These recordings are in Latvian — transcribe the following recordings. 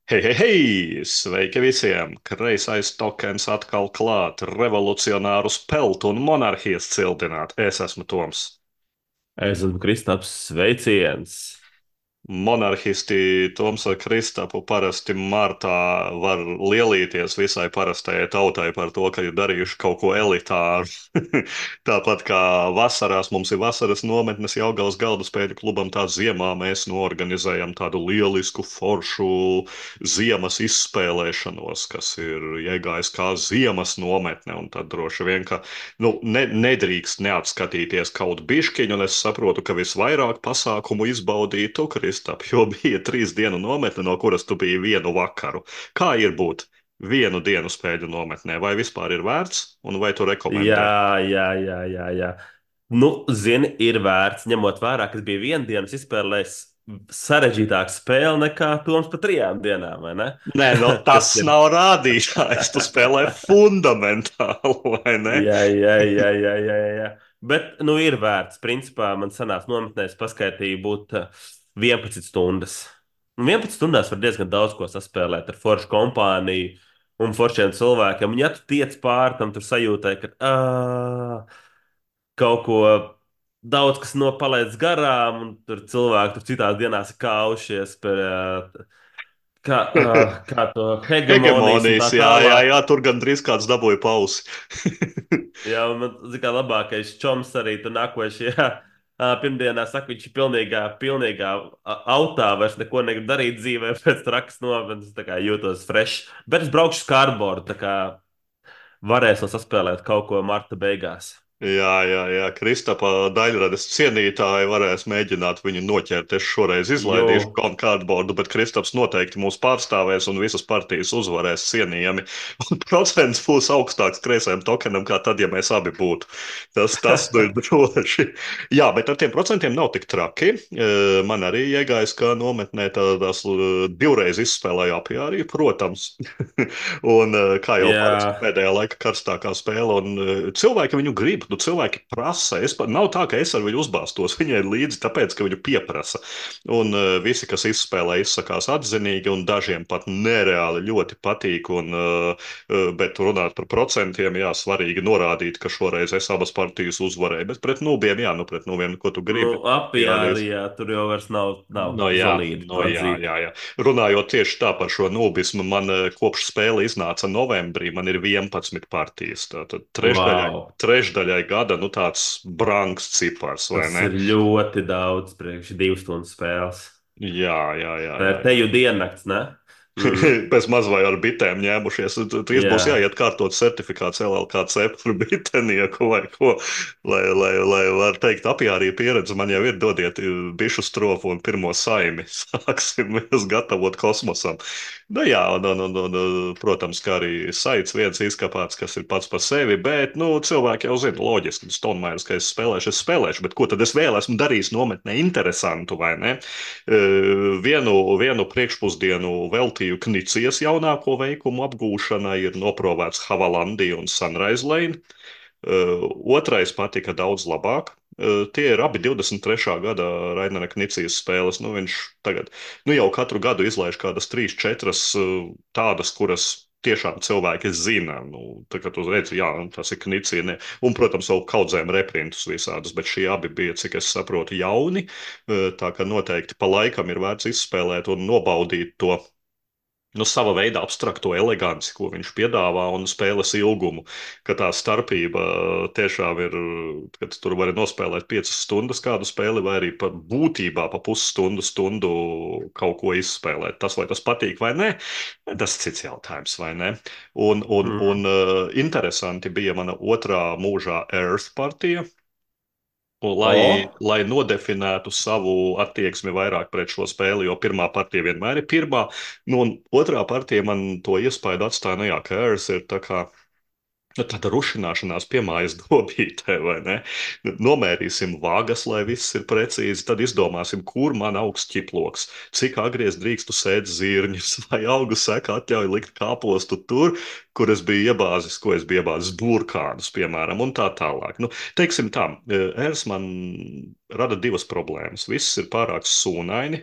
Hei, hei, hei! Sveiki visiem! Kreisais tokens atkal klāt, revolucionārus peltu un monarhijas cildināt. Es esmu Toms. Es esmu Kristaps. Sveiciens! Monarhisti Toms ar Kristapu parasti martā var lielīties visai parastajai tautai par to, ka ir darījuši kaut ko elitāru. Tāpat kā vasarās mums ir vasaras nometnes Jelgavas galdaspēļu klubam, tā ziemā mēs norganizējam tādu lielisku foršu ziemas izspēlēšanos, kas ir iegājis kā ziemas nometne. Un tad droši vien, ka nedrīkst neatskatīties kaut bišķiņu, un es saprotu, ka visvairāk pasākumu izbaudīja tu, Kristap, jo bija 3 dienu nometne, no kuras tu biji vienu vakaru. Kā ir būt vienu dienu spēļu nometnē? Vai vispār ir vērts, un vai tu rekomendē? Jā. Nu, zini, ir vērts, ņemot vērā, ka bija viena dienas izspēlējis sarežģītāka spēle nekā Toms pa 3 dienām, vai ne? Nē, no tas Kas ir? nav rādītājs. Tu spēlē fundamentāli, vai ne? Jā. Bet, nu, ir vērts. Principā man sanāca nometnēs paskaitīja būt 11 stundas. Un 11 stundās var diezgan daudz ko saspēlēt ar foršu kompāniju un foršiem cilvēkiem. Un ja tu tiec pāri tam, tur sajūtai, ka kaut ko daudz kas nopalaists garām, un tur cilvēki tur citās dienās ir kaušies par kā to hegemonijas un Hegemonijas, tā jā, tālāk. tur gandrīz kāds dabūja pausi. Jā, un man zina, kā labākais čoms arī tur nākošajā pirmdienā saka, viņš ir pilnīgā autā, vairs neko negrib darīt dzīvē pēc trakas nometnes, tā kā jūtos fresh. Bet es braukšu uz kārboru, tā kā varēšu saspēlēt kaut ko marta beigās. Jā, Kristapa daļradas cienītāji varēs mēģināt viņu noķert. Es šoreiz Jo, izlaidīšu kārtbordu, bet Kristaps noteikti mūs pārstāvēs un visas partijas uzvarēs cienījami. Un procents būs augstāks kreisajam tokenam, kā tad, ja mēs abi būtu. Tas nu ir droši. Jā, bet ar tiem procentiem nav tik traki. Man arī iegājas, ka nometnē tās divreiz izspēlēja apjārī, protams. Un kā jau parasti jā, pēdējā laika karstākā spēle, un cilvēki viņu grib, nu cilvēki prasa. Nav tā, ka es ar viņu uzbāztos, viņai ir līdzi, tāpēc, ka viņu pieprasa. Un visi, kas izspēlē, izsakās atzinīgi, un dažiem pat nereāli ļoti patīk. Bet runāt par procentiem, jā, svarīgi norādīt, ka šoreiz es abas partijas uzvarēju. Bet pret nūbiem, jā, nu pret nūbiem, ko tu nu, gribi. apjāri, jā, tur jau vairs nav No jā, valīdi no to jā, atzīt. jā, jā. Runājot tieši tā par šo nobismu, man kopš spēle iznāca novembrī, man ir 11 partijas. Tātad Wow, trešdaļai gada, nu tāds brangs cipars, vai tas ne? ir ļoti daudz priekš 2 stundu spēles. Tā Jā. ir te jau diennakts, ne? Mm, Pēc maz vai ar bitēm ņēmušies. Trīs būs jā. jāiet kārtot certifikāts LLKC par bitenieku vai ko. Lai var teikt, apjārī pieredze man jau ir, dodiet bišu stropu un pirmo saimi. Sāksim mēs gatavot kosmosam. Nu jā, protams, kā arī saites viens izkapāts, kas ir pats par sevi, bet, nu, cilvēki jau zina, loģiski, Stonemaieris, ka es spēlēšu, bet ko tad es vēl esmu darījis nometnē interesantu, vai ne? Vienu priekšpusdienu veltīju Knicijas jaunāko veikumu apgūšanai, ir noprovēts Havalandija un Sunrise Lane. Otrais patika daudz labāk. Tie ir abi 23. gada Rainera Knicijas spēles. Nu, viņš tagad jau katru gadu izlaiž kādas 3, 4 tādas, kuras tiešām cilvēki zina. Nu, tā kā tu redzi, jā, tas ir Knicija. Ne. Un, protams, vēl kaudzēm reprintus visādus, bet šie abi bija, cik es saprotu, jauni. Tā ka noteikti pa laikam ir vērts izspēlēt un nobaudīt to sava veida abstrakto eleganci, ko viņš piedāvā, un spēles ilgumu. Ka tā starpība tiešām ir, kad tur var nospēlēt 5 stundas kādu spēli, vai arī pat būtībā pa pusstundu kaut ko izspēlēt. Tas, vai tas patīk vai nē, tas ir cits jautājums, vai ne? Mm. Interesanti bija mana otrā mūžā Earth partija. Un O, lai nodefinētu savu attieksmi vairāk pret šo spēli, jo pirmā partija vienmēr ir pirmā, nu, un otrā partija man to iespaidu atstāja, nu jā, ka Ērs ir tā kā tāda rušināšanās pie mājas dobītē, vai ne? Nomērīsim vagas, lai viss ir precīzi, tad izdomāsim, kur man augs ķiploks, cik agries drīkstu sēt zirņus, vai augu seka atļauj likt kāpostu tur, kur es biju iebāzis, ko es biju iebāzis burkānus, piemēram, un tā tālāk. Nu, teiksim tā, ērs man rada divas problēmas. Viss ir pārāk sūnaini.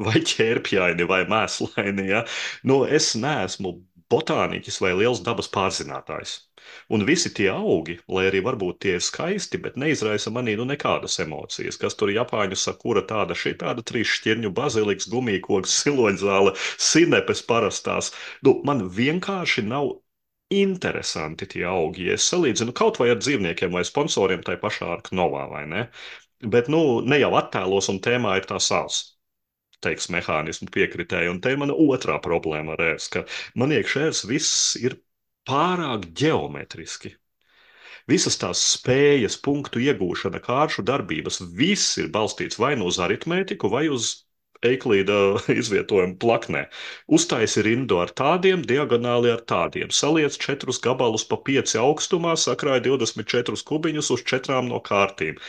vai ķērpjaini, vai mēslaini. Ja? Nu, es neesmu botāniķis vai liels dabas pārzinātājs. Un visi tie augi, lai arī varbūt tie ir skaisti, bet neizraisa manī nu nekādas emocijas. Kas tur Japāņu sakura tāda, šī tāda trīs šķirņu baziliks, gumijkoks, siloņzāle, sinepes parastās. Nu, man vienkārši nav interesanti tie augi. Ja es salīdzinu kaut vai ar dzīvniekiem vai sponsoriem, tai pašā Ark Novā, vai ne? Bet, nu, ne jau attēlos un tēmā ir tā sāls teiks, mehānismu piekritēji. Un te ir mana otrā problēma ar ērs, ka man iekšērs viss ir pārāk ģeometriski. Visas tās spējas, punktu iegūšana, kāršu darbības, viss ir balstīts vai nu uz aritmētiku, vai uz Eiklīda izvietojumu plaknē. Uztaisi rindu ar tādiem, diagonāli ar tādiem. Saliec 4 gabalus pa 5 augstumā, sakrāja 24 kubiņus uz 4 no kārtīm.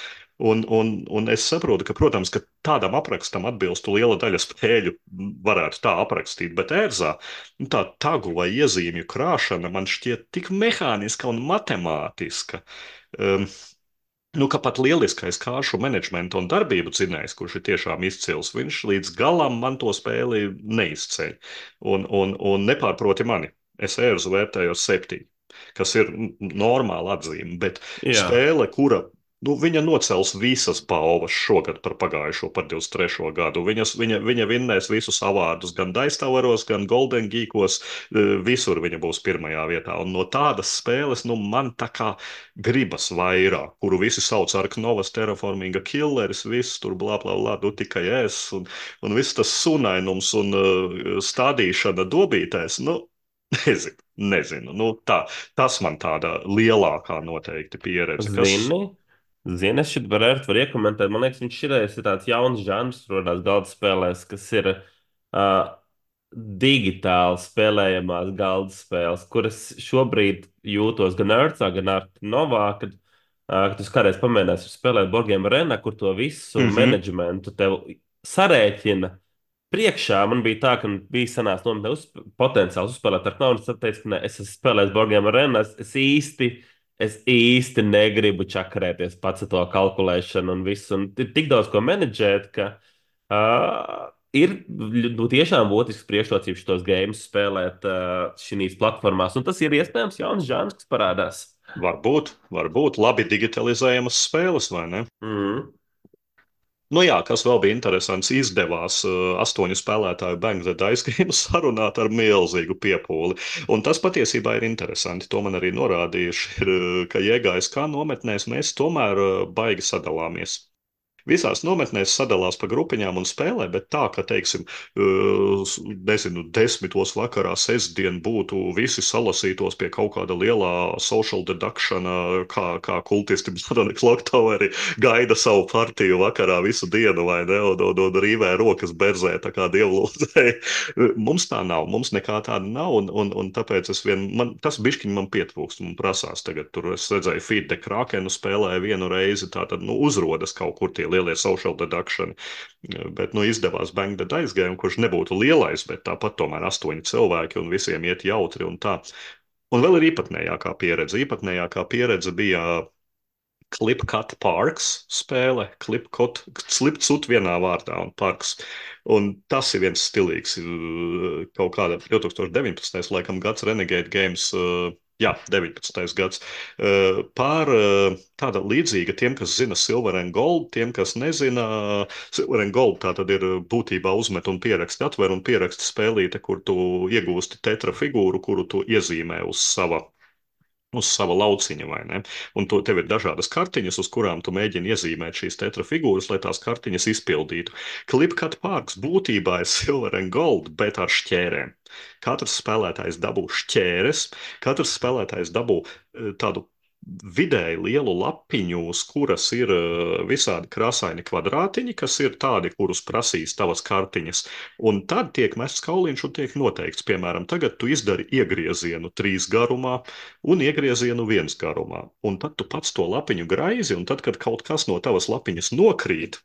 Un es saprotu, ka, protams, ka tādam aprakstam atbilstu liela daļa spēļu, varētu tā aprakstīt, bet ērzā tā tagu vai iezīmju krāšana man šķiet tik mehāniska un matemātiska. Um, Nu, ka pat lieliskais kāršu menedžmenta un darbību dzinējs, kurš ir tiešām izcils, viņš līdz galam man to spēli neizceļ. Un nepārproti mani. Es ērzu vērtēju 7, kas ir normāla atzīme, bet Jā, spēle, kura. Nu, viņa nocels visas balvas šogad par pagājušo, par 23. gadu. Viņa vinnēs visus avārdus, gan Daistavaros, gan Golden Geekos. Visur viņa būs pirmajā vietā. Un no tādas spēles, nu, man tā kā gribas vairāk, kuru visi sauc par Novas terraforminga killeris, viss tur blā, blā, blā, nu tikai es, un viss tas sunainums un stādīšana dobītēs, nu, nezinu, nu tā, tas man tāda lielākā noteikti pieredze, kas zini, zini, es šeit varu iekomentēt. Man liekas, viņš ir tāds jauns žanrs, rodās galda spēlēs, kas ir digitāli spēlējamās galda spēles, kuras šobrīd jūtos gan Earthā, gan Novā, kad tu kādreiz pamēģināsi spēlēt Borgiem Arena, kur to visu mhm, menedžmentu tev sarēķina priekšā. Man bija tā, ka bija sanāks nometnē potenciāls uzspēlēt ar naudu. Tad teicu, ka ne, es esmu spēlējis Borgiem Arena, es īsti negribu čakarēties pats ar to kalkulēšanu un visu. Un ir tik daudz ko menedžēt, ka ir nu, tiešām būtisks priekšrocības šos games spēlēt šīs platformās. Un tas ir iespējams jauns žanrs, kas parādās. varbūt labi digitalizējamas spēles, vai ne? Mm. Nu jā, kas vēl bija interesants, izdevās 8 spēlētāju Bang the Dice Game sarunāt ar milzīgu piepūli. Un tas patiesībā ir interesanti. To man arī norādījuši, ir, ka iegājis kā nometnēs, mēs tomēr baigi sadalāmies. Visās nometnēs sadalās pa grupiņām un spēlē, bet tā, ka, teiksim, nezinu, 10. vakarā sestdien būtu visi salasītos pie kaut kāda lielā social deduction, kā kultisti Madoni Clocktoveri gaida savu partiju vakarā visu dienu, vai ne, un rīvē rokas berzē, tā kā dievlūdzēji. Mums tā nav, mums nekā tāda nav, un tāpēc tas bišķiņ man pietrūkst, man prasās tagad, tur es redzēju Feed the Krakenu spēlēju vienu reizi, tātad, nu, uzrodas kaut kur tie lielie social deduction. Bet, nu, izdevās Bang the Dice Game, kurš nebūtu lielais, bet tāpat tomēr 8 cilvēki un visiem iet jautri un tā. Un vēl ir īpatnējākā pieredze. Īpatnējākā pieredze bija Clipcut Parks spēle, Slipcut vienā vārdā un Parks. Un tas ir viens stilīgs, kaut kāda 2019. laikam gads Renegade Games, jā, 19. gads, pār tāda līdzīga tiem, kas zina Silver and Gold, tiem, kas nezina, Silver and Gold tā tad ir būtībā uzmet un pieraksti, atver un pieraksti spēlīte, kur tu iegūsti tetra figūru, kuru tu iezīmē uz sava lauciņa, vai ne? Un tev ir dažādas kartiņas, uz kurām tu mēģini iezīmēt šīs tetra figūras, lai tās kartiņas izpildītu. Clipcut Parks būtībā ir Silver and Gold, bet ar šķērēm. Katrs spēlētājs dabū šķēres, katrs spēlētājs dabū tādu vidēji lielu lapiņu, uz kuras ir visādi krāsaini kvadrātiņi, kas ir tādi, kurus prasīs tavas kartiņas. Un tad tiek mests kauliņš un tiek noteikts, piemēram, tagad tu izdari iegriezienu 3 garumā un iegriezienu 1 garumā. Un tad tu pats to lapiņu graizi, un tad, kad kaut kas no tavas lapiņas nokrīt,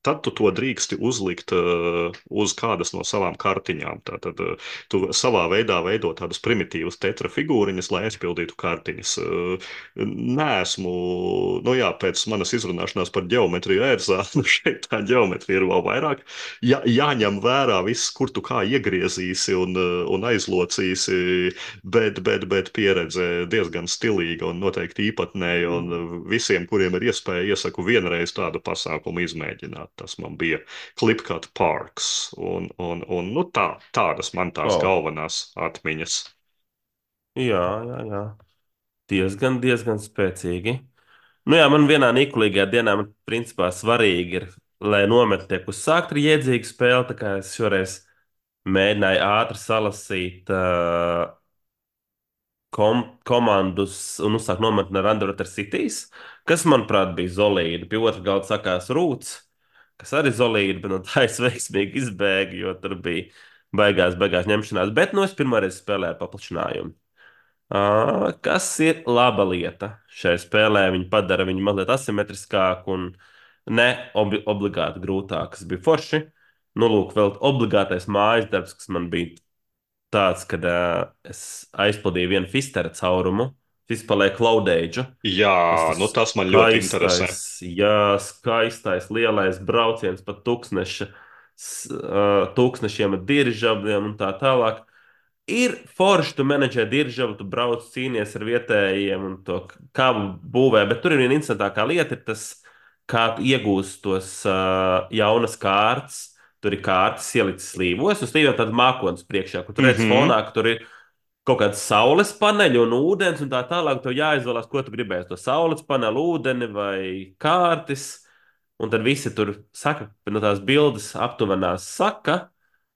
tad tu to drīksti uzlikt uz kādas no savām kartiņām. Tātad tu savā veidā veido tādas primitīvas tetra figūriņas, lai aizpildītu kartiņas. Nē, nu jā, pēc manas izrunāšanās par ģeometriju ērzā, nu šeit tā ģeometrija ir vēl vairāk. Jāņem vērā viss, kur tu kā iegriezīsi un aizlocīsi, bet pieredze diezgan stilīga un noteikti īpatnēja. Un visiem, kuriem ir iespēja, iesaku vienreiz tādu pasākumu izmēģināt. Tas man bija Clipcut Parks. Nu tādas man tās Oh, galvenās atmiņas. jā, jā, jā. Diezgan spēcīgi. Nu jā, man vienā nikulīgajā dienā, man principā svarīgi ir, lai nometne tiek uzsākta ar iedzīgu spēli, tā kā es šoreiz mēģināju ātri salasīt komandus un uzsākt nometni ar Underwater Cities, kas, manuprāt, bija zolīdi. Pie otra galda sakās Rūts, kas arī zolīdi, bet no tā es veiksmīgi izbēgu, jo tur bija beigās ņemšanās. Bet nu es pirmoreiz spēlēju paplašinājumu. Kas ir laba lieta šai spēlē? Viņa padara viņu mazliet asimetriskāku un ne obligāti grūtāku, kas bija forši. Nu, lūk, vēl obligātais mājas darbs, kas man bija tāds, kad es aizpildīju vienu Fistera caurumu, izpalēju Cloudage. Jā, Tas nu tas man ļoti interesē. skaistais, jā, skaistais, lielais brauciens pa tūkstošiem ar diržabļiem un tā tālāk. Ir forši, tu menedžē diržavu, tu brauc, cīnies ar vietējiem un to kābu būvē, bet tur ir viena interesantākā lieta, ir tas, kā tu iegūsi tos jaunas kārtas. Tur ir kārtas ielicis slīvos, un slīviem tāda mākonis priekšā, kur tur redz Mhm. fonā, ka tur ir kaut kāds saules paneļi un ūdens, un tā tālāk. Tev jāizvēlās, ko tu gribēsi. To saules paneļu, ūdeni vai kārtas. Un tad visi tur saka, no tās bildes aptuvenās saka,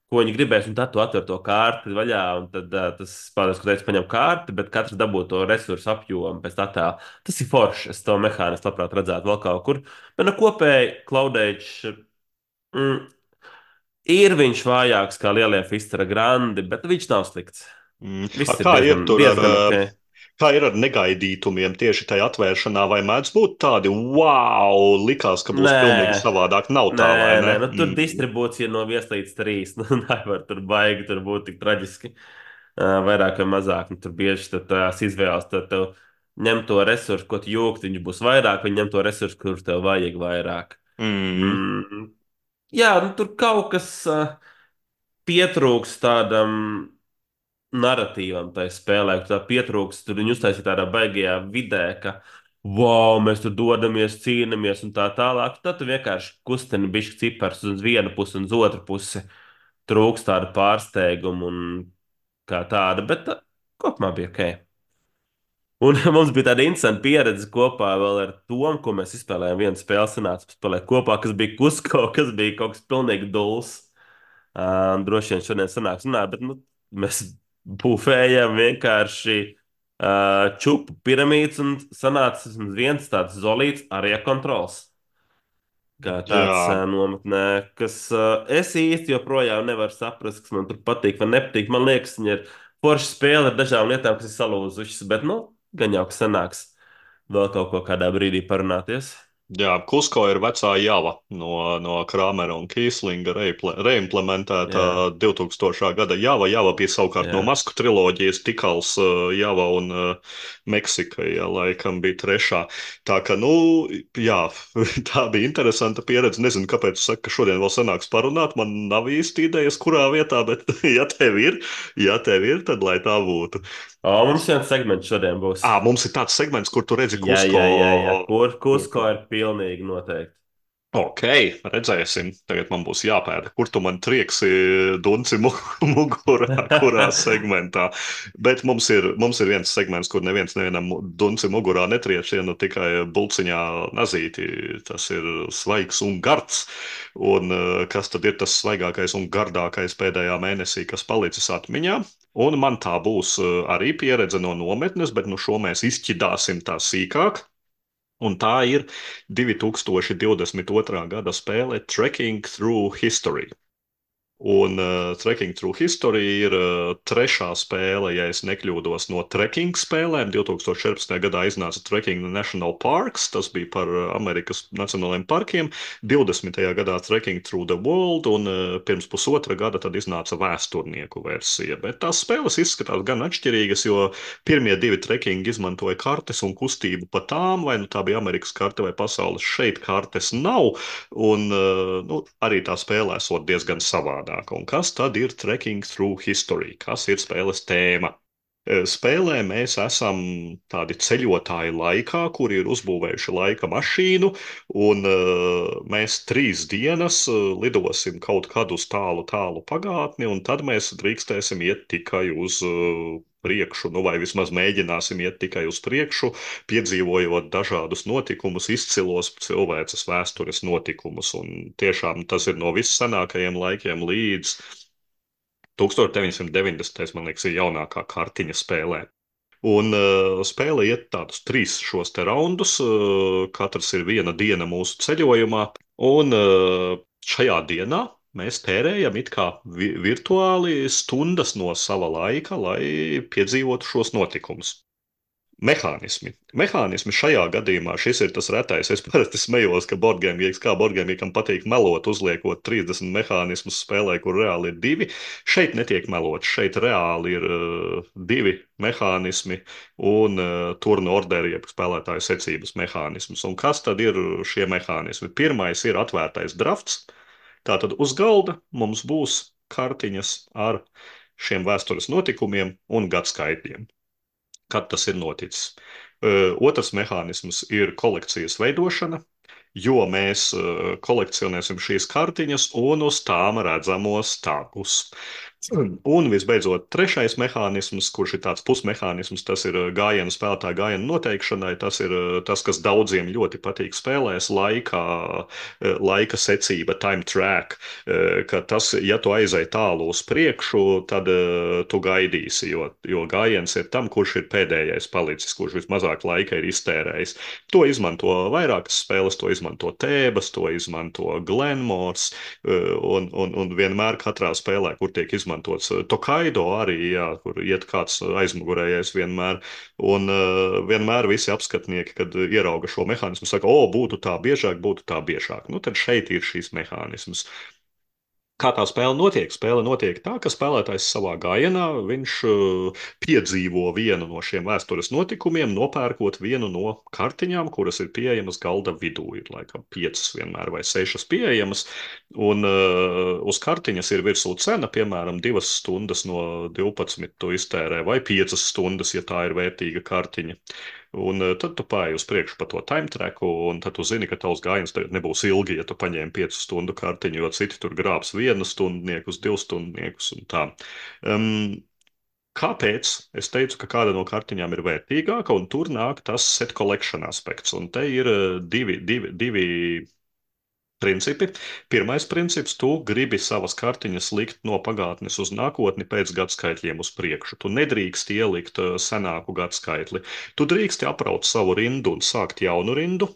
ko viņi gribēs, un tad tu atver to kārti vaļā, un tad tas spēlētājs, ko teica, paņem kārti, bet katrs dabū to resursu apjomu pēc tā tā. Tas ir forši. Es to mehānismu labprāt redzētu vēl kaut kur. Bet no kopēji Cloudage mm, ir viņš vājāks kā lielie Fistera grandi, bet viņš nav slikts. Viss ir Kā ir tur ar, diezgan ok. kā ir ar negaidītumiem tieši tajā atvēršanā, vai mēdz būt tādi, wow, likās, ka būs Nē, pilnīgi savādāk? Nav nē, tā, vai ne? nē. Nu, tur distribūcija no 1 līdz 3. Nu, nevar tur baigi, tur būt tik traģiski. Vairāk vai mazāk. Nu, tur bieži tad tās izvēles, tad tev ņem to resursu, ko tu jūgti, viņš būs vairāk, vai ņem to resursu, kurus tev vajag vairāk. Mm. Mm. Jā, nu, tur kaut kas pietrūks tādam narratīvam tai spēlē, ka tā pietrūks, tur viņi uztaisīja tādā baigajā vidē, ka, wow, mēs tur dodamies, cīnāmies un tā tālāk. Tad tu vienkārši kustini bišķi cipars uz vienu pusi un uz otru pusi. Trūks tāda pārsteiguma un kā tāda, bet kopumā bija ok. Un mums bija tāda interesanta pieredze kopā vēl ar Tomu, ko mēs izspēlējām. Vienu spēli sanāca spēlēt kopā, kas bija Kusko, kas bija kaut kas pilnīgi dulls. Droši vien šodien sanāks runāt, bet nu, mēs būvējam vienkārši čupu piramīdas un sanāca vismaz viens tāds zolīts arī kontrols. Kā tāds Jā. nometnē, kas es īsti joprojām nevaru saprast, kas man tur patīk vai nepatīk. Man liekas, viņa ir forša spēle ar dažām lietām, kas ir salūzušas, bet, nu, gan jau, ka sanāks vēl kaut ko kādā brīdī parunāties. Jā, Kusko ir vecā java no Krāmera un Kīslinga reimplementēta Jā, 2000. gada java. Java bija savukārt no jā. Masku triloģijas, Tikals, Java un Meksika, ja laikam bija trešā. Tā ka, nu, jā, tā bija interesanta pieredze. Nezinu, kāpēc tu saki, ka šodien vēl sanāks parunāt. Man nav īsti idejas, kurā vietā, bet ja tev ir, tad lai tā būtu. O, mums viens segments šodien būs. Mums ir tāds segments, kur tu redzi Jā, Kusko. jā, jā, jā. Kur Kusko ir pilnīgi noteikti. Ok, redzēsim. Tagad man būs jāpēta, kur tu man trieksi dunci mugurā, kurā segmentā. Bet mums ir viens segments, kur neviens nevienam dunci mugurā netriec, ja nu tikai bulciņā nazīti. Tas ir svaigs un gards. Un kas tad ir tas svaigākais un gardākais pēdējā mēnesī, kas palicis atmiņā? Un man tā būs arī pieredze no nometnes, bet nu šo mēs izšķidāsim tā sīkāk. Un tā ir 2022. gada spēle Trekking Through History. Un Trekking Through History ir trešā spēle, ja es nekļūdos, no trekking spēlēm. 2014. gadā iznāca Trekking the National Parks, tas bija par Amerikas nacionālajiem parkiem. 20. gadā Trekking Through the World, un pirms pusotra gada tad iznāca vēsturnieku versija. Bet tās spēles izskatās gan atšķirīgas, jo pirmie divi trekking izmantoja kartes un kustību pa tām, vai nu tā bija Amerikas karte vai pasaules. Šeit kartes nav. Un nu, arī tā spēlē esot diezgan savādāka. Un kas tad ir Trekking Through History? Kas ir spēles tēma? Spēlē mēs esam tādi ceļotāji laikā, kuri ir uzbūvējuši laika mašīnu, un mēs 3 dienas lidosim kaut kad uz tālu, tālu pagātni, un tad mēs drīkstēsim iet tikai uz priekšu, nu vai vismaz mēģināsim iet tikai uz priekšu, piedzīvojot dažādus notikumus, izcilos cilvēces vēstures notikumus. Un tiešām tas ir no vissenākajiem laikiem līdz 1990. Man liekas, ir jaunākā kartiņa spēlē. Un spēle iet tādus 3 šos te raundus. Katrs ir viena diena mūsu ceļojumā. Un šajā dienā mēs tērējam it kā virtuāli stundas no sava laika, lai piedzīvotu šos notikumus. Mehānismi šajā gadījumā šis ir tas retais. Es parasti smējos, ka boardgame, kā boardgame patīk melot, uzliekot 30 mehānismus spēlē, kur reāli ir 2. Šeit netiek melots. Šeit reāli ir 2 mehānismi un turnu orderi, jeb spēlētāju secības mehānismus. Un kas tad ir šie mehānismi? Pirmais ir atvērtais drafts. Tātad uz galda mums būs kartiņas ar šiem vēstures notikumiem un gadskaitļiem, kad tas ir noticis. Otrs mehānisms ir kolekcijas veidošana, jo mēs kolekcionēsim šīs kartiņas un uz tām redzamos tagus. Un visbeidzot, trešais mehānisms, kurš ir tāds pusmehānisms, tas ir gājienu spēlētāju gājienu noteikšanai. Tas ir tas, kas daudziem ļoti patīk spēlēs, laika secība, time track, ka tas, ja tu aizai tālu uz priekšu, tad tu gaidīsi, jo gājiens ir tam, kurš ir pēdējais palicis, kurš vismazāk laika ir iztērējis. To izmanto vairākas spēles, to izmanto Tēbas, to izmanto Glenmores, un vienmēr katrā spēlē, kur tiek izmantots Tokaido arī, jā, kur iet kāds aizmugurējais vienmēr. Un vienmēr visi apskatnieki, kad ierauga šo mehānismu, saka, o, būtu tā biežāk, būtu tā biežāk. Nu, tad šeit ir šīs mehānismas. Kā tā spēle notiek? Spēle notiek tā, ka spēlētājs savā gājienā viņš piedzīvo vienu no šiem vēstures notikumiem, nopērkot vienu no kartiņām, kuras ir pieejamas galda vidū. Ir laikam 5 vienmēr vai 6 pieejamas, un uz kartiņas ir virsū cena, piemēram, 2 stundas no 12 tu iztērē, vai 5 stundas, ja tā ir vērtīga kartiņa. Un tad tu pāji uz priekšu pa to time tracku, un tad tu zini, ka tavs gājiens tagad nebūs ilgi, ja tu paņēmi 5 stundu kartiņu, jo citi tur grābs 1 stundniekus, 2 stundniekus un tā. Kāpēc es teicu, ka kāda no kartiņām ir vērtīgāka, un tur nāk tas set collection aspekts. Un te ir divi principi. Pirmais princips, tu gribi savas kartiņas likt no pagātnes uz nākotni pēc gadskaitļiem uz priekšu. Tu nedrīkst ielikt senāku gadskaitli. Tu drīksti apraut savu rindu un sākt jaunu rindu,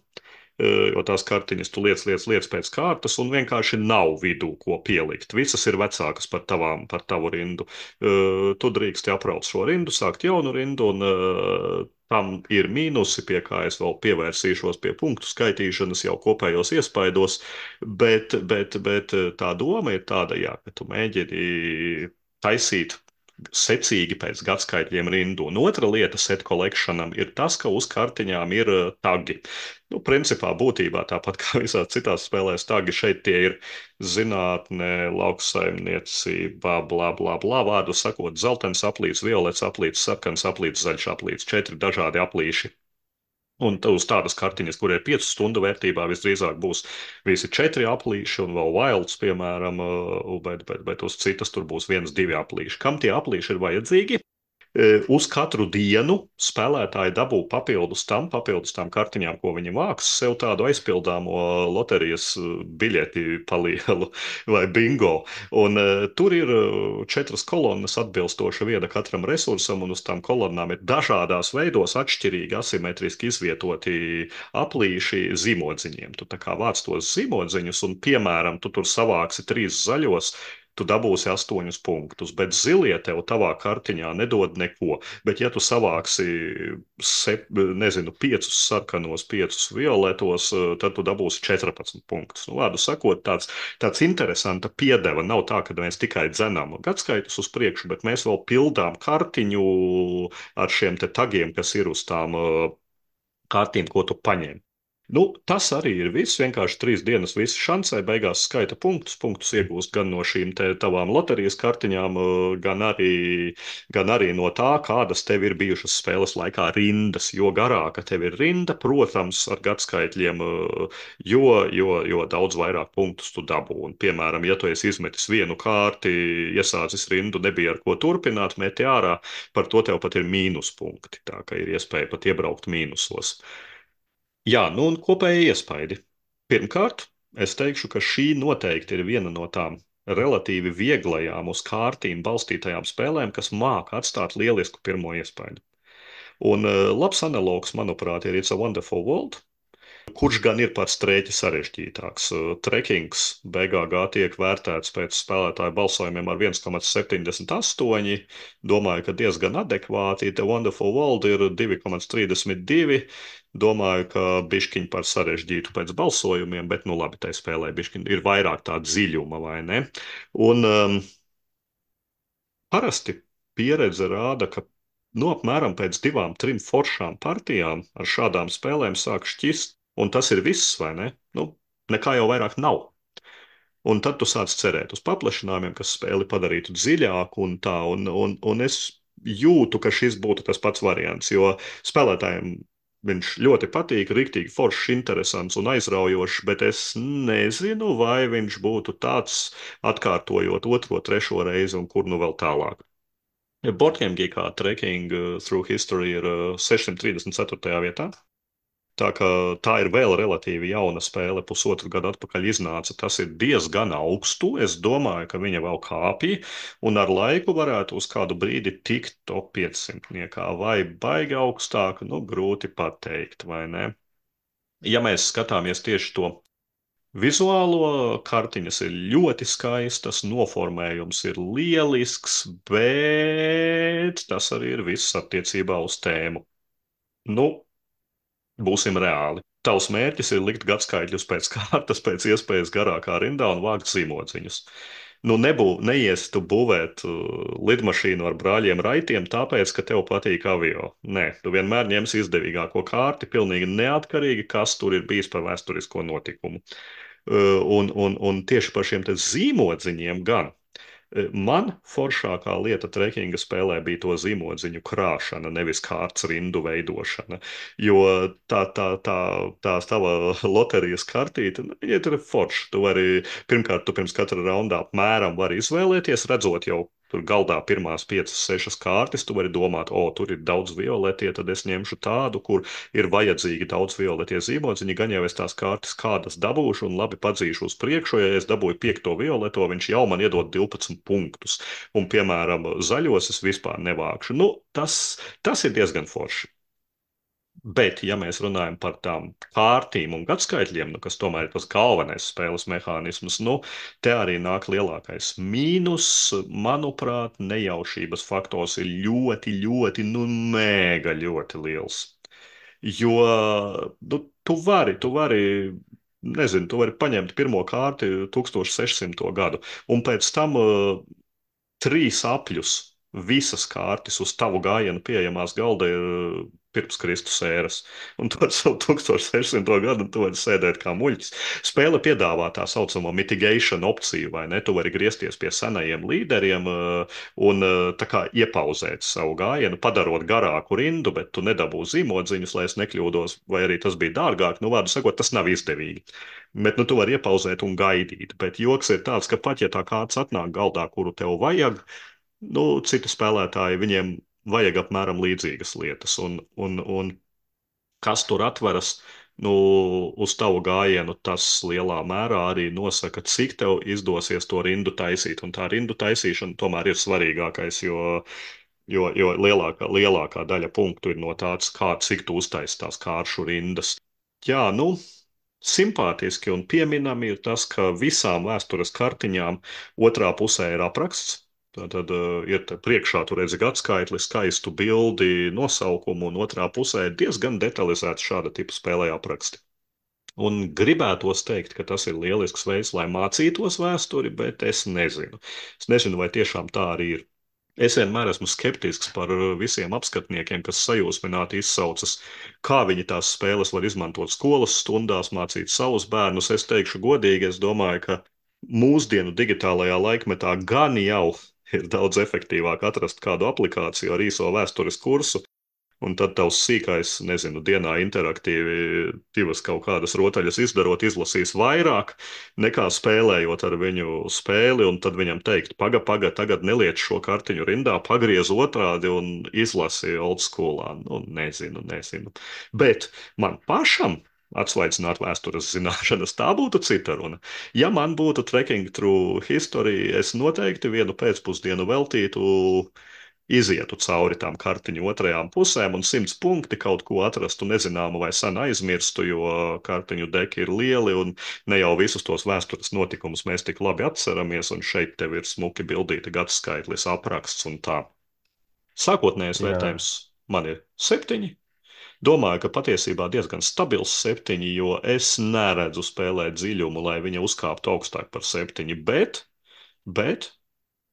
jo tās kartiņas tu liec pēc kārtas, un vienkārši nav vidū, ko pielikt. Visas ir vecākas par tavu rindu. Tu drīksti apraut šo rindu, sākt jaunu rindu, un tam ir mīnusi, pie kā es vēl pievērsīšos pie punktu skaitīšanas jau kopējos iespaidos, bet tā doma ir tāda, jā, ka tu mēģini taisīt secīgi pēc gadskaitļiem rindu. Un otra lieta set collectionam ir tas, ka uz kartiņām ir tagi. Nu, principā, būtībā tāpat kā visās citās spēlēs, tagi šeit tie ir zinātne, lauksaimniecība, bla, bla, bla, vārdu sakot, zeltains aplīts, violets aplīts, sarkans aplīts, zaļš aplīts, 4 dažādi aplīši. Un uz tādas kartiņas, kur ir 5 stundu vērtībā, visdrīzāk būs visi 4 aplīši un vēl wilds, piemēram, bet uz citas tur būs 1, 2 aplīši. Kam tie aplīši ir vajadzīgi? Uz katru dienu spēlētāji dabū papildus tām kartiņām, ko viņi vāks, sev tādu aizpildāmo loterijas biļeti palielu vai bingo. Un tur ir 4 kolonnas atbilstoši viena katram resursam, un uz tām kolonnām ir dažādās veidos atšķirīgi asimetriski izvietoti aplīši zīmodziņiem. Tu tā kā vāc tos zīmodziņus, un, piemēram, tu tur savāksi 3 zaļos, tu dabūsi 8 punktus, bet zilie tev tavā kartiņā nedod neko. Bet, ja tu savāksi, nezinu, 5 sarkanos, 5 violetos, tad tu dabūsi 14 punktus. Nu, vārdu sakot, tāds interesanta piedeva. Nav tā, ka mēs tikai dzenām gadskaitus uz priekšu, bet mēs vēl pildām kartiņu ar šiem te tagiem, kas ir uz tām kārtīm, ko tu paņem. Nu, tas arī ir viss. Vienkārši 3 dienas visi šansē, beigās skaita punktus. Punktus iegūst gan no šīm tavām loterijas kartiņām, gan arī no tā, kādas tev ir bijušas spēles laikā rindas. Jo garāka tev ir rinda, protams, ar gadskaitļiem, jo daudz vairāk punktus tu dabū. Un, piemēram, ja tu esi izmetis vienu kārti, iesācis rindu, nebija ar ko turpināt, meti ārā, par to tev pat ir mīnuspunkti. Tā ka ir iespēja pat iebraukt mīnusos. Jā, nu un kopēji iespaidi. Pirmkārt, es teikšu, ka šī noteikti ir viena no tām relatīvi vieglajām uz kārtīm balstītajām spēlēm, kas māca atstāt lielisku pirmo iespaidu. Un labs analogs, manuprāt, ir It's a Wonderful World, kurš gan ir pats strēķi sarežģītāks. Trekings BGG tiek vērtēts pēc spēlētāju balsojumiem ar 1,78. Domāju, ka diezgan adekvāti. The Wonderful World ir 2,32. Domāju, ka bišķiņ par sarežģītu pēc balsojumiem, bet, nu labi, tai spēlē bišķiņ ir vairāk tā dziļuma, vai ne? Un parasti pieredze rāda, ka apmēram pēc 2, 3 foršām partijām ar šādām spēlēm sāk šķist, un tas ir viss, vai ne? Nu, nekā jau vairāk nav. Un tad tu sāc cerēt uz paplašinājumiem, kas spēli padarītu dziļāku un tā, un es jūtu, ka šis būtu tas pats variants, jo spēlētājiem viņš ļoti patīk, riktīgi foršs, interesants un aizraujošs, bet es nezinu, vai viņš būtu tāds atkārtojot 2, 3 reizi un kur nu vēl tālāk. Boardgame Geekā Trekking Through History ir 634. vietā. Tā kā tā ir vēl relatīvi jauna spēle, pusotru gadu atpakaļ iznāca. Tas ir diezgan augstu. Es domāju, ka viņa vēl kāpja, un ar laiku varētu uz kādu brīdi tikt top 500. Vai baigi augstāk, nu grūti pateikt, vai ne? Ja mēs skatāmies tieši to vizuālo, kartiņas ir ļoti skaistas, noformējums ir lielisks, bet tas arī ir viss attiecībā uz tēmu. Nu, būsim reāli. Tavs mērķis ir likt gadskaitļus pēc kārtas, pēc iespējas garākā rindā un vākt zīmodziņus. Nu, neies tu būvēt lidmašīnu ar brāļiem raitiem, tāpēc, ka tev patīk avio. Nē, tu vienmēr ņemsi izdevīgāko kārti, pilnīgi neatkarīgi, kas tur ir bijis par vēsturisko notikumu. Un tieši par šiem te zīmodziņiem gan. Man foršākā lieta trekinga spēlē bija to zīmodziņu krāšana, nevis kārtas rindu veidošana. Jo tās tava loterijas kartīte, ja tur ir forša, pirmkārt, tu pirms katra raundā apmēram vari izvēlēties, redzot jau tur galdā pirmās 5, 6 kārtas, tu vari domāt, tur ir daudz violetie, tad es ņemšu tādu, kur ir vajadzīgi daudz violetie zīmodziņi, gan jau es tās kārtas kādas dabūšu un labi padzīšu uz priekšu, ja es dabūju 5. violeto, viņš jau man iedod 12 punktus. Un, piemēram, zaļos es vispār nevākšu. Nu, tas ir diezgan forši. Bet, ja mēs runājam par tām kārtīm un gadskaitļiem, kas tomēr ir tas galvenais spēles mehānisms, te arī nāk lielākais mīnus. Manuprāt, nejaušības faktors ir ļoti, ļoti, mega ļoti liels. Jo, tu vari, nezinu, tu vari paņemt pirmo kārti 1600. gadu, un pēc tam 3 apļus visas kārtas uz tavu gājienu pieejamās galda ir pirms Kristus ēras. Un tu ar savu 1600. gadu tu vari sēdēt kā muļķis. Spēle piedāvā tā saucamo mitigation opciju, vai ne? Tu vari griezties pie senajiem līderiem un tā kā iepauzēt savu gājienu, padarot garāku rindu, bet tu nedabū zīmodziņus, lai es nekļūdos, vai arī tas bija dārgāk. Nu, vārdu sakot, tas nav izdevīgi. Bet tu vari iepauzēt un gaidīt. Bet joks ir tāds, ka pat ja tā kārts atnāk galdā, kuru tev vajag, citi spēlētāji, viņiem vajag apmēram līdzīgas lietas. Un kas tur atveras, uz tavu gājienu, tas lielā mērā arī nosaka, cik tev izdosies to rindu taisīt. Un tā rindu taisīšana tomēr ir svarīgākais, jo lielākā daļa punktu ir no tāds, cik tu uztaisi tās kāršu rindas. Jā, simpātiski un pieminami ir tas, ka visām vēstures kartiņām otrā pusē ir apraksts. Tad ir te priekšā, tur redzi gadskaitli, skaistu bildi, nosaukumu, un otrā pusē ir diezgan detalizēts šāda tipa spēlē apraksti. Un gribētos teikt, ka tas ir lielisks veids, lai mācītos vēsturi, bet es nezinu. Es nezinu, vai tiešām tā arī ir. Es vienmēr esmu skeptisks par visiem apskatniekiem, kas sajūsmināti izsaucas, kā viņi tās spēles var izmantot skolas stundās, mācīt savus bērnus. Es teikšu godīgi, es domāju, ka mūsdienu digitālajā laikmetā gan jau ir daudz efektīvāk atrast kādu aplikāciju ar īso vēstures kursu, un tad tavs sīkais, nezinu, dienā interaktīvi divas kaut kādas rotaļas izdarot, izlasīs vairāk nekā spēlējot ar viņu spēli, un tad viņam teikt, paga, paga, tagad neliec šo kartiņu rindā, pagriez otrādi un izlasi old schoolā. Nu, nezinu, nezinu. Bet man pašam atsvaicināt vēstures zināšanas, tā būtu cita runa. Ja man būtu trekking through history, es noteikti vienu pēcpusdienu veltītu izietu cauri tām kartiņu otrajām pusēm un 100 punkti kaut ko atrastu nezināmu vai sen aizmirstu, jo kartiņu deki ir lieli un ne jau visus tos vēstures notikumus mēs tik labi atceramies, un šeit tev ir smuki bildīti gadskaitlis, apraksts un tā. Sākotnējais Jā. vērtējums man ir 7. Domāju, ka patiesībā diezgan stabils 7, jo es neredzu spēlē dziļumu, lai viņa uzkāptu augstāk par 7, bet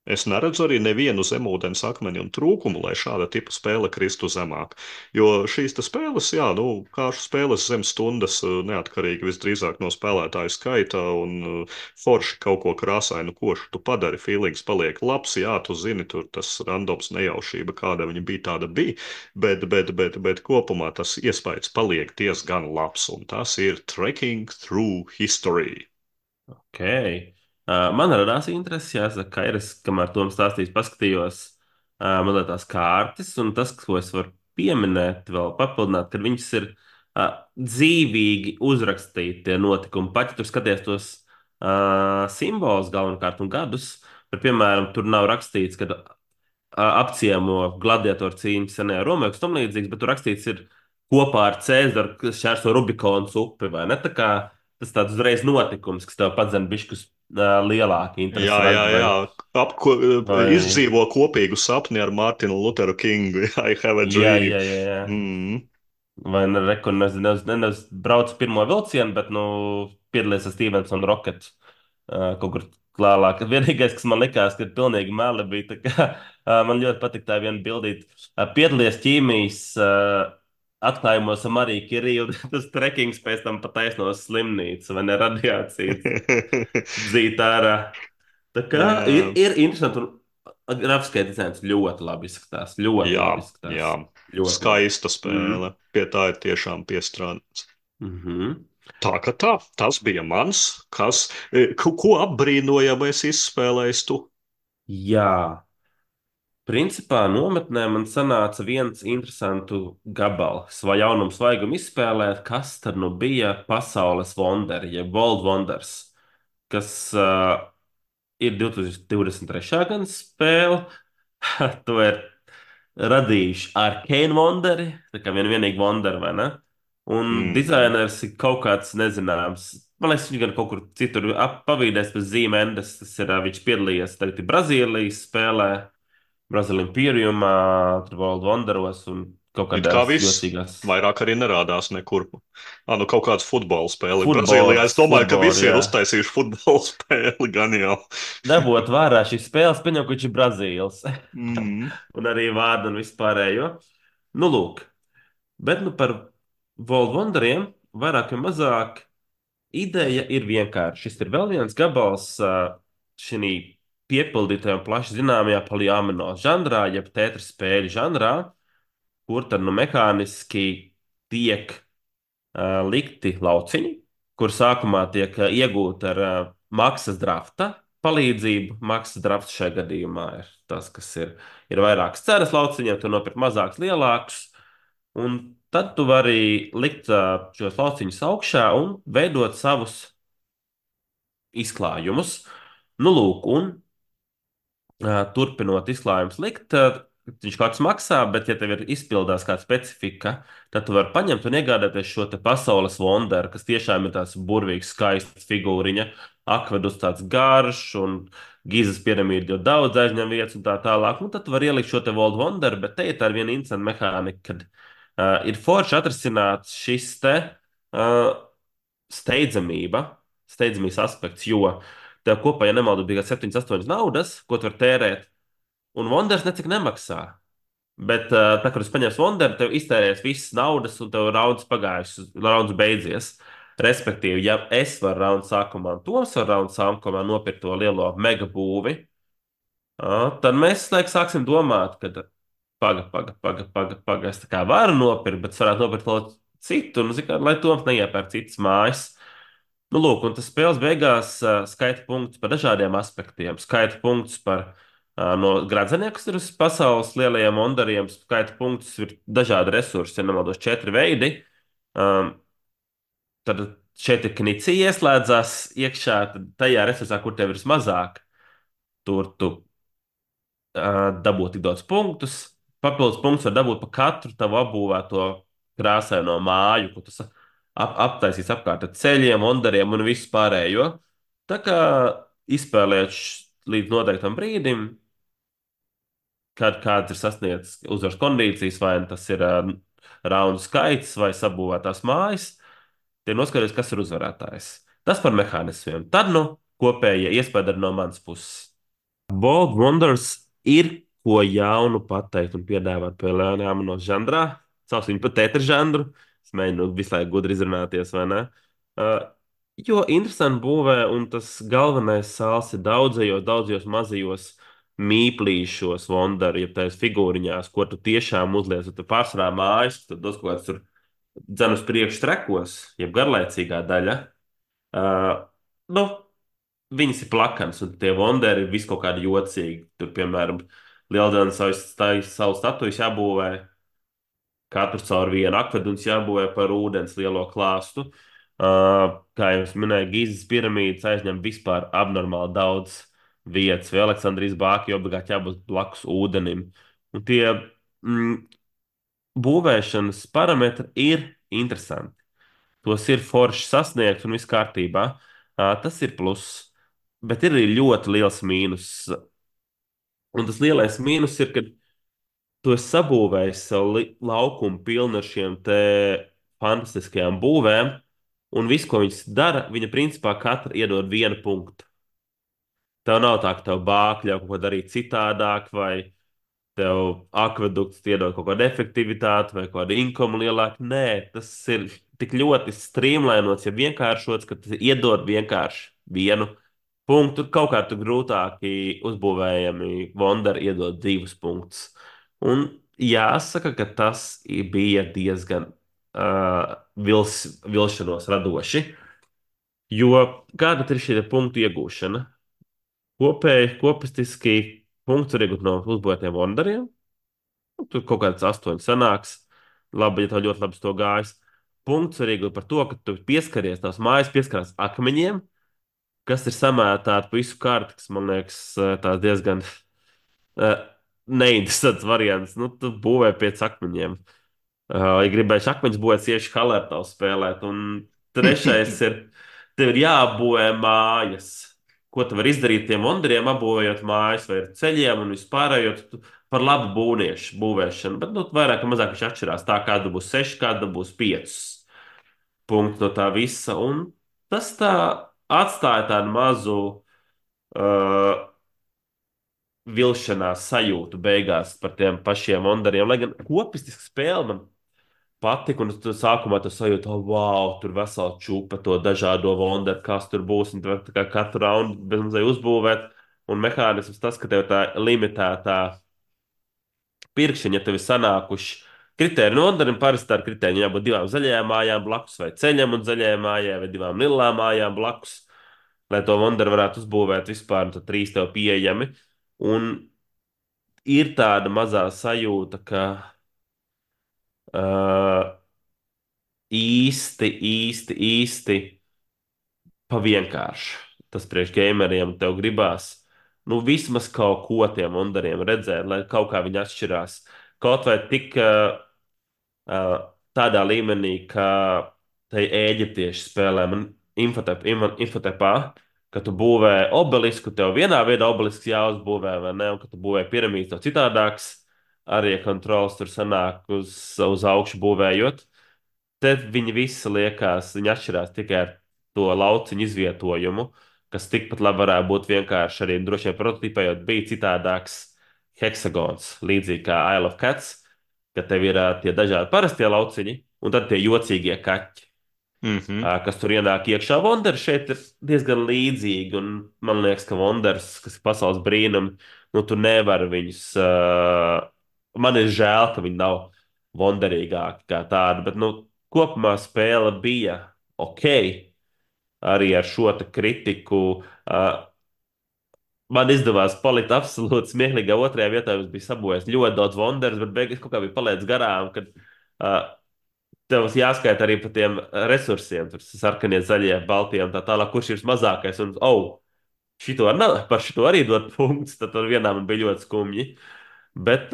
es neredzu arī nevienu zemūdens akmeni un trūkumu, lai šāda tipa spēle kristu zemāk. Jo šīs te spēles, jā, nu, kāšu spēles zem stundas, neatkarīgi visdrīzāk no spēlētāju skaita un forši kaut ko krāsainu, košu tu padari, feelings paliek labs, jā, tu zini, tur tas randoms nejaušība, kāda viņa bija, tāda bija, bet kopumā tas iespējas paliek diezgan labs, un tas ir Trekking Through History. Ok. Man radās interesi, jāsaka, ka ir es, kamēr Toms stāstīs, paskatījos mazliet tās kārtas, un tas, ko es varu pieminēt, vēl papildināt, ka viņas ir dzīvīgi uzrakstīti tie notikumi. Pat ja tur skaties tos simbolus galvenokārt un gadus, bet, piemēram, tur nav rakstīts, ka apciemo gladiatoru cīņas senajā Romā, kas tam līdzīgs, bet tur rakstīts ir kopā ar Cēzaru, kas šķērso Rubikonas upi, vai ne? Tā kā tas tāds uzreiz notikums, kas tev padzen bišķus lielāku Jā, interesi, jā, jā. vai, Izdzīvo kopīgu sapni ar Mārtiņu Lutheru Kingu. I have a jā, dream. jā, jā, jā. Mm. Vai ne, reku, nezinu, brauc pirmo vilcienu, bet, nu, piedalījies ar Stevensonu Rocket kaut kur klālāk. Vienīgais, kas man likās, ka ir pilnīgi meli, bija, tā kā, man ļoti patīk tā viena bildīt. Piedalījies ķīmijas atklājumos ar Mariju Kirīlu, tas trekings pēc tam pat taisno slimnīcu, vai ne, radiācijas dzīt ārā. Tā kā Jā, ir interesanti, un grafiskais dizains ļoti labi izskatās, ļoti jā, labi izskatās, jā. ļoti labi. Skaista Mm. spēle. Pie tā ir tiešām piestrādāts. Mhm. Tā kā tā, tas bija mans, ko apbrīnojamais izspēlējis tu. Jā, principā nometnē man sanāca viens interesants gabals vai jaunums vajagum izspēlēt, kas tad nu bija pasaules wonderi, jeb World Wonders, kas ir 2023. gada spēle. To ir radījuši Arcane Wonderi, tā kā vienīgi Wonderi, vai ne? Un Mm. dizainers ir kaut kāds nezināms. Man liekas, viņš gan kaut kur citur pavīdēs pēc zīmēndes. Tas ir, viņš piedalījies tagad ir Brazīlijas spēlē, Brazīlijas Imperiumā, tur World Wonderos un kaut It kā kādās viss jocīgās vairāk arī nerādās nekur. Nu kaut kāds futbola spēle Brazīlijā. futbola, Es domāju, ka futbola, visi ir jā. uztaisījuši futbola spēli gan jau. Dabūt vērā šīs spēles, pieņem, ka viņš ir Brazīls. Mm. Un arī vārdu un vispārējo. Nu, lūk. Bet nu par World Wonderiem vairāk vai mazāk ideja ir vienkārša. Šis ir vēl viens gabals šī piepildītajā un plaši zināmajā polyamino žanrā, jeb tētras spēļu žanrā, kur tad nu mehāniski tiek likti lauciņi, kur sākumā tiek iegūti ar maksas drafta palīdzību. Maksas drafts šajā gadījumā ir tas, kas ir vairākas cenas lauciņiem, tu nopirki mazākus, lielākus, un tad tu vari likt šos lauciņus augšā un veidot savus izklājumus. Nu, lūk, un turpinot izklājumus likt, viņš kaut kas maksā, bet, ja tev ir izpildās kāda specifika, tad tu vari paņemt un iegādāties šo te pasaules wonderu, kas tiešām ir tāds burvīgs, skaists figūriņa, akvedus tāds garš un Gīzes piramīda ļoti daudz aizņem vietas un tā tālāk. Nu, tad tu vari ielikt šo te World Wonder, bet te ir tā viena interesanta mehānika, kad ir forši atrasināts šis te uh, steidzamība, steidzamības aspekts, jo tev kopā, ja nemaldu, bija 7, 8 naudas, ko tu vari tērēt, un Wonders necik nemaksā. Bet, tā, kad es paņēmu Wonderu, tev iztērēs visas naudas, un tev rauns pagājis, rauns beidzies. Respektīvi, ja es varu raundu sākumā, un Toms var raundu sākumā nopirkt to lielo mega būvi, tad mēs laikam sāksim domāt, ka paga, es tā kā varu nopirkt, bet es varētu nopirkt kaut ko citu, nu, zin kā, lai Toms neiepērk citas mājas. Nu, lūk, un tas spēles beigās skaita punktus par dažādiem aspektiem. Skaita punktus par no gradzeniem, kas ir uz pasaules lielajiem ondariem, skaita punktus ir dažādi resursi, ja nemaldos, 4 veidi. Um, Tad šeit ir knicija ieslēdzās iekšā, tad tajā resursā, kur tev ir vismazāk, tur tu dabūt tik daudz punktus. Papildus punktus var dabūt par katru tavu apbūvēto krāsaino māju, ko tas aptaisīs apkārt ar ceļiem, ondariem un visu pārējo. Tā kā izspēlēt līdz noteiktam brīdim, kad kāds ir sasniedzis uzvaras kondīcijas, vai nu tas ir raundu skaits vai sabūvētās mājas, tie noskaidros, kas ir uzvarētājs. Tas par mehānismiem. Tad, nu, kopējie iespēja no manas puses. Bold Wonders ir ko jaunu pateikt un piedāvāt pēlēnām no žanrā. Sauc viņu par tētra žanru. Es mēģinu visu laiku gudri izrunāties, vai ne? Uh, jo interesanti būvē, un tas galvenais sāls ir daudzajos mazajos mīplīšos Wonderu, jeb tās figūriņās, ko tu tiešām uzliec. Tu pārsvarā mājas, tad dos kaut kāds tur dzen uz priekšu trekos, jeb garlaicīgā daļa. Uh, nu, viņas ir plakanas, un tie wonderi ir vis kaut kādi jocīgi. Tur, piemēram, Lieldienas savu statuju jābūvē katru caur vienu akvedumu, jābūvē par ūdens lielo klāstu. Kā jau es minēju, Gīzes piramīdas aizņem vispār abnormāli daudz vietas, vai Aleksandrijas bāķi obligāti jābūt blakus ūdenim. Un tie mm, būvēšanas parametri ir interesanti. Tos ir forši sasniegt un viss kārtībā. Tas ir pluss. Bet ir arī ļoti liels mīnus. Un tas lielais mīnus ir, ka tu esi sabūvējis savu laukumu pilnu ar šiem te fantastiskajām būvēm, un viss, ko viņas dara, viņa principā katra iedod vienu punktu. Tev nav tā, ka tev bākļi jau kaut ko darīt citādāk, vai tev akvedukts iedod kaut kādu efektivitāti vai kādu inkomu lielāku. Nē, tas ir tik ļoti streamlinots, ja vienkāršots, ka tas iedod vienkārši vienu punktu. Tur kaut kā tur grūtāki uzbūvējami Wonderi iedod 2 punktus. Un jāsaka, ka tas bija diezgan vilšanos radoši, jo kāda ir šī punktu iegūšana? Kopistiski punkts var iegūt no uzbūvētiem Wonderiem. Nu, tur kaut kāds 8 sanāks. Labi, ja tev ļoti labi to gājas. Punkts var iegūt par to, ka tu pieskaries tās mājas, pieskarās akmeņiem, kas ir samētāti pa visu kārtu, kas man liekas tās diezgan neinteresants variants. Nu, tu būvē pēc akmeņiem. Ja gribējuši akmeņus būvēt, tieši Hallertau spēlēt. Un trešais ir, tev ir jāapbūvē mājas. Ko tu vari izdarīt tiem wonderiem, apbūvējot mājas vai ar ceļiem un vispārējo par labu būvēšanu. Bet nu, vairāk vai mazāk viņš atšķirās. Tā kāda būs 6, kāda būs 5 punkti no tā visa. Un tas tā atstāja tādu mazu vilšanās sajūtu beigās par tiem pašiem wonderiem. Lai gan kopistiski spēle man patika, un tu sākumā tu sajūti, oh, wow, tur vesela čūpa to dažādo wonderu, kas tur būs, un tu vari tā kā katru raundu bezmazliet uzbūvēt. Un mehānisms tas, ka tev tā limitētā pirkšana, ja tev ir sanākuši kritēriji wonderim, parasti tā ir kritērija jābūt 2 zaļajām mājām blakus, vai ceļam un zaļajai mājai, vai 2 lilām mājām blakus, lai to wonderu varētu uzbūvēt vispār, un tad 3 tev pieejami. Un ir tāda mazā sajūta, ka uh, īsti pa vienkārši. Tas priekš gameriem tev gribās. nu, vismaz kaut ko tiem wonderiem redzēt, lai kaut kā viņi atšķirās. Kaut vai tik tādā līmenī, ka tai eģiptiešu spēlē man infotepā, ka tu būvē obelisku, tev vienā veidā obelisks jāuzbūvē, vai ne, un ka tu būvē piramīdu, tev citādāks, arī kontrols tur sanāk uz augšu būvējot. Tad viņi visi liekas, viņi atšķirās tikai ar to lauciņu izvietojumu, kas tikpat labi varētu būt vienkārši arī droši vien prototipējot, bija citādāks heksagons, līdzīgi kā Isle of Cats, ka tev ir tie dažādi parastie lauciņi, un tad tie jocīgie kaķi, Mhm. kas tur ienāk iekšā. Wonders šeit ir diezgan līdzīgi, un man liekas, ka Wonders, kas ir pasaules brīnumi, nu tu nevari viņus. Man ir žēl, ka viņi nav wonderīgāki kā tādi, bet nu, kopumā spēle bija ok. Arī ar šo te kritiku. Uh, Man izdevās palikt absolūti smieklīgā otrajā vietā. Es biju sabojājis ļoti daudz Wonders, bet beigās kaut kā bija palaidis garām, kad tev jāskaita arī par tiem resursiem, tur sarkanie, zaļie, baltie un tā tālāk, kurš ir mazākais. Un, oh, par šito arī dot punktus, tad tur vienā man bija ļoti skumji. Bet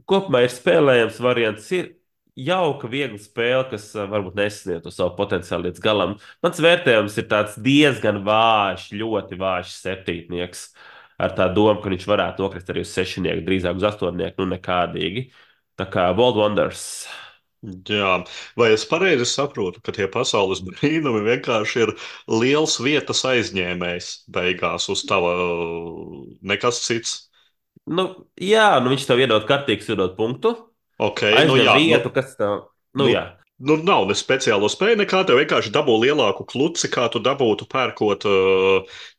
kopumā ir spēlējams variants. Ir jauka, viegla spēle, kas varbūt nesasniedz to savu potenciālu līdz galam. Mans vērtējums ir tāds diezgan vājš, ļoti vājš septītnieks. Ar tā domu, ka viņš varētu nokrist arī uz sešnieku, drīzāk uz astoņnieku, nu nekādīgi. Tā kā World Wonders. Jā, vai es pareizi saprotu, ka tie pasaules brīnumi vienkārši ir liels vietas aizņēmējs beigās uz tava nekas cits? Nu, jā, nu viņš tev iedod kartīgs, iedod punktu, Ok, nu aizņem jā, vietu, kas tev, nu nu, jā. nu nav ne speciālo spēju nekā, tev vienkārši dabū lielāku kluci, kā tu dabūtu pērkot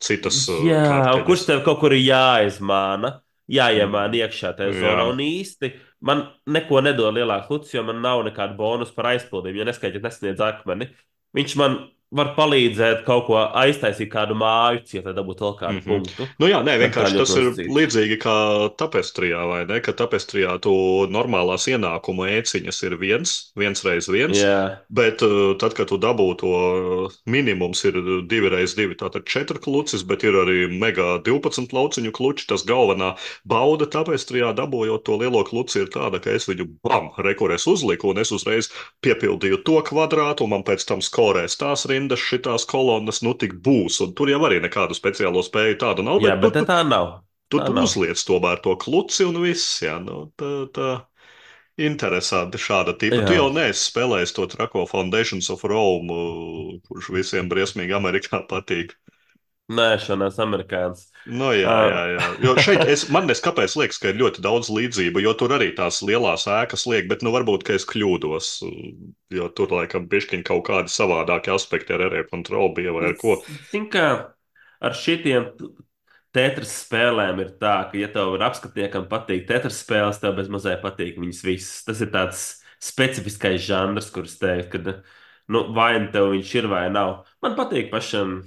citas Jā, un kurš karteņas. tev kaut kur ir jāizmāna, jāiemāna Mm, iekšā tajā zonā, jā. un īsti man neko nedod lielāks lucis, jo man nav nekāda bonus par aizpildījumu, ja neskaidrs nesniedz akmeni. Viņš man var palīdzēt kaut ko aiztaisīt, kādu māju cietu, lai dabūtu vēl kādu Mhm. punktu, Nu jā, nē, bet tā vienkārši tas ļoti ir nosacīti. līdzīgi kā tapestrijā, vai ne? Ka tapestrijā tu normālās ienākuma ēciņas ir viens reiz viens, Jā, bet tad, kad tu dabū to minimums ir 2 reiz 2, tātad 4 klucis, bet ir arī mega 12 lauciņu kluči. Tas galvenā bauda tapestrijā dabūjot to lielo kluci ir tāda, ka es viņu bam, rekurēs uzliku un es uzreiz piepildīju to kvadrātu, un man pēc tam skorēs tās rindas, šitās kolonnas, nu tik būs. Un tur jau arī nekādu speciālo spēju tādu nav, jā, bet bet tā nav. Tā tu nav. uzliec tomēr to kluci un viss. Jā, nu, tā interesanti šāda tipa. Tu Jā, jau neesi spēlējis to trako Foundations of Rome, kurš visiem briesmīgi Amerikā patīk. nē, šanās amerikāns. Nu, jā, jā, Uh, jā. Jo šeit man neskapēc liekas, ka ir ļoti daudz līdzību, jo tur arī tās lielās ēkas liek, bet nu varbūt, ka es kļūdos, jo tur laikam bišķiņ kaut kādi savādāki aspekti ar area kontroli bija vai ar ko. Zini, kā ar šitiem Tetris spēlēm ir tā, ka, ja tev ir apskatniekam patīk Tetris spēles, tev bez mazai patīk viņas visas. Tas ir tāds specifiskais žanrs, kurš teikt, ka, nu, vai nu tev viņš ir vai nav. Man patīk pašam.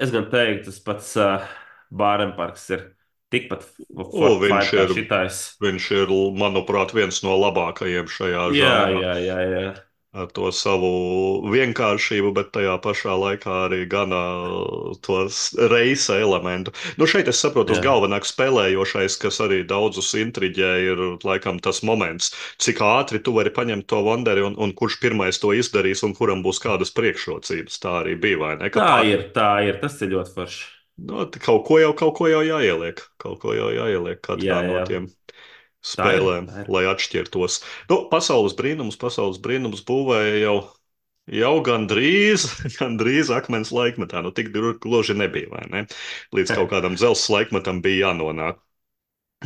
Es gan teiktu, tas pats Bārenparks ir tikpat O, fine kā šitais. viņš ir, manuprāt, viens no labākajiem šajā Jā, žanrā. jā, jā, jā. Ar to savu vienkāršību, bet tajā pašā laikā arī gana tos reisa elementu. Nu, šeit es saprotu, tas Jā, galvenāk spēlējošais, kas arī daudzus intriģē, ir laikam tas moments, cik ātri tu vari paņemt to Wanderi un kurš pirmais to izdarīs un kuram būs kādas priekšrocības. Tā arī bija, vai ne? Ka tā ir, tā ir. Tas ir ļoti forši. nu, kaut ko jau jāieliek. Kaut ko jau jāieliek katrā Jā, no jā. tiem Tā ir. spēlēm, Tā ir. lai atšķirtos. Nu, pasaules brīnums būvēja jau gandrīz, gandrīz akmens laikmetā. Nu, tik gluži nebija, vai ne? Līdz kaut kādam dzelzs laikmetam bija jānonāk.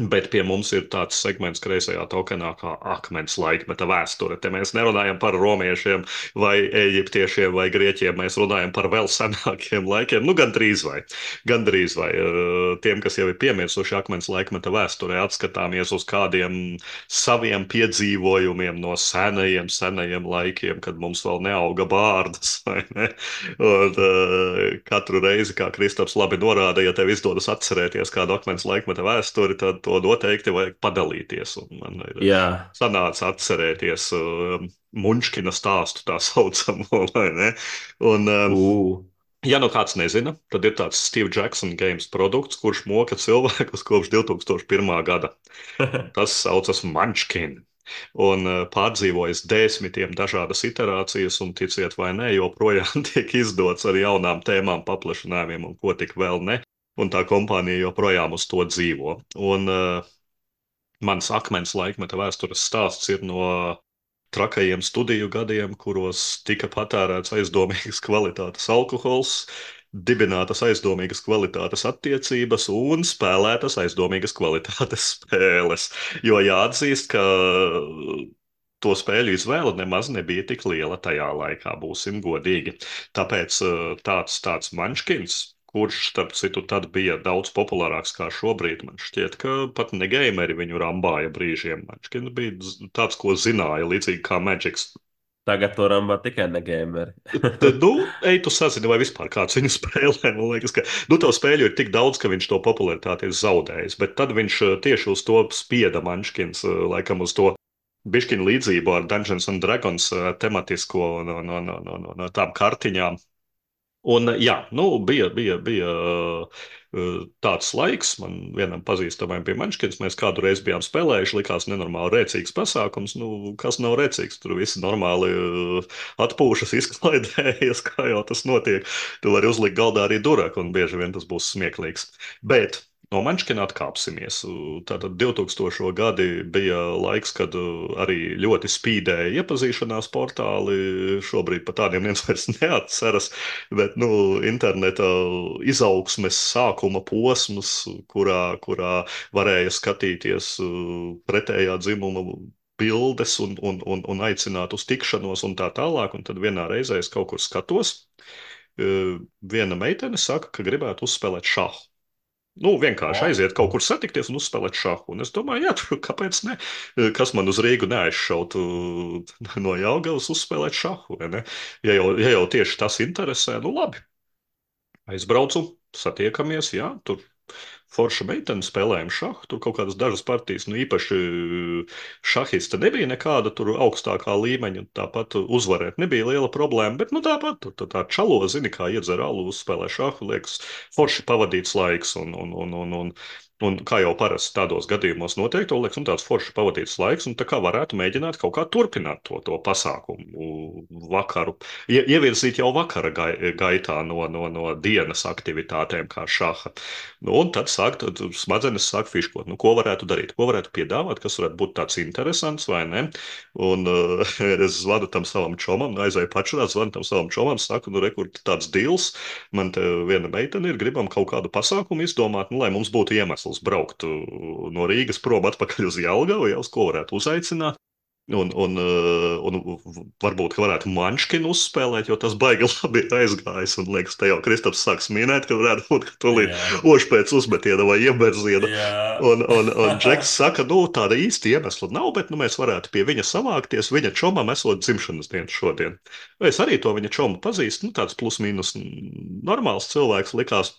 Bet pie mums ir tāds segments kreisajā tokenā, kā akmens laikmeta vēsture. Te mēs nerunājam par romiešiem, vai eģiptiešiem, vai grieķiem. Mēs runājam par vēl senākiem laikiem. Nu, gandrīz vai. Gandrīz vai. Tiem, kas jau ir piemirsuši akmens laikmeta vēsturē, atskatāmies uz kādiem saviem piedzīvojumiem no senajiem laikiem, kad mums vēl neauga bārdas. Vai ne? Un, katru reizi, kā Kristaps labi norāda, ja tev izdodas atcerēties kādu akmens laikmeta vēsturi, tad to noteikti vajag padalīties. Un man ir Jā. sanāca atcerēties Munčkina stāstu tā saucamo, vai ne? Un, Ū. Ja nu kāds nezina, tad ir tāds Steve Jackson games produkts, kurš moka cilvēkus kopš 2001. gada. Tas saucas Munchkin. Un pārdzīvojis desmitiem dažādas iterācijas, un ticiet vai nē, joprojām tiek izdots ar jaunām tēmām, paplašinājumiem un ko tik vēl ne. Un tā kompānija joprojām uz to dzīvo. Un mans akmens laikmeta vēstures stāsts ir no trakajiem studiju gadiem, kuros tika patērēts aizdomīgas kvalitātes alkohols, dibinātas aizdomīgas kvalitātes attiecības un spēlētas aizdomīgas kvalitātes spēles. Jo jāatzīst, ka to spēļu izvēle nemaz nebija tik liela tajā laikā, būsim godīgi. Tāpēc tāds manškins, kurš, starp citu, tad bija daudz populārāks kā šobrīd, man šķiet, ka pat ne gameri viņu rambāja brīžiem. Manškins bija tāds, ko zināja, līdzīgi kā Magics. Tagad to rambā tikai negameri. Tad, nu, ej, tu sazini, vai vispār kāds viņu spēlē. Man liekas, ka nu, to spēļu ir tik daudz, ka viņš to popularitāti ir zaudējis. Bet tad viņš tieši uz to spieda Manškins, laikam uz to bišķiņu līdzību ar Dungeons and Dragons tematisko no tām kartiņām. Un, jā, nu, bija tāds laiks, man vienam pazīstamajam bija Manškins, mēs kādu reizi bijām spēlējuši, likās nenormāli rēcīgs pasākums, nu, kas nav rēcīgs, tur visi normāli atpūšas, izklaidējas, kā jau tas notiek, tu vari uzlikt galdā arī duraku, un bieži vien tas būs smieklīgs. Bet no Manškina atkāpsimies. Tātad 2000. gadi bija laiks, kad arī ļoti spīdēja iepazīšanās portāli. Šobrīd par tādiem viens vairs neatceras, bet nu, interneta izaugsmes sākuma posms, kurā varēja skatīties pretējā dzimuma bildes un aicināt uz tikšanos un tā tālāk. Un tad vienā reizē es kaut kur skatos. Viena meitene saka, ka gribētu uzspēlēt šahu. Nu, vienkārši O, aiziet kaut kur satikties un uzspēlēt šahu. Un es domāju, jā, kāpēc ne? Kas man uz Rīgu neaizšautu no Jelgavas uzspēlēt šahu, vai ne? Ja jau tieši tas interesē, nu labi. Aizbraucu, satiekamies, jā, tur forša meitene spēlējām šahu, tur kaut kādas dažas partijas, nu īpaši šahista nebija nekāda tur augstākā līmeņa, tāpat uzvarēt nebija liela problēma, bet nu tāpat tur tā čalo, zini, kā iedzer alu, uzspēlē šahu, liekas, forši pavadīts laiks un kā jau parasti tādos gadījumos notiek, to liekas, tāds forši pavadīts laiks, un tā kā varētu mēģināt kaut kā turpināt to pasākumu vakaru, ievirzīt jau vakara gaitā no dienas aktivitātēm kā šaha. Nu, un tad smadzenes sāk fiškot, nu, ko varētu darīt, ko varētu piedāvāt, kas varētu būt tāds interesants vai ne. Un es zvanu tam savam čomam, aizēju pačurāt, zvanu tam savam čomam, saku, nu, rekur, tāds dils, man te viena meitene ir, gribam kaut kādu pasākumu izdomāt, nu, lai mums būtu iemesls braukt no Rīgas prom atpakaļ uz Jelgavu, jau uz ko varētu uzaicināt. Un varbūt varētu Manškinu uzspēlēt, jo tas baigi labi ir aizgājis. Un liekas, te jau Kristaps sāks minēt, ka varētu būt, ka tūlīt jā, oši pēc uzmetiena vai ieberziena. jā. Un Džeks saka, nu, tāda īsti iemesla nav, bet nu, mēs varētu pie viņa savākties. Viņa čomam esot dzimšanas diena šodien. Es arī to viņa čomu pazīstu, nu, tāds plus mīnus normāls cilvēks likās.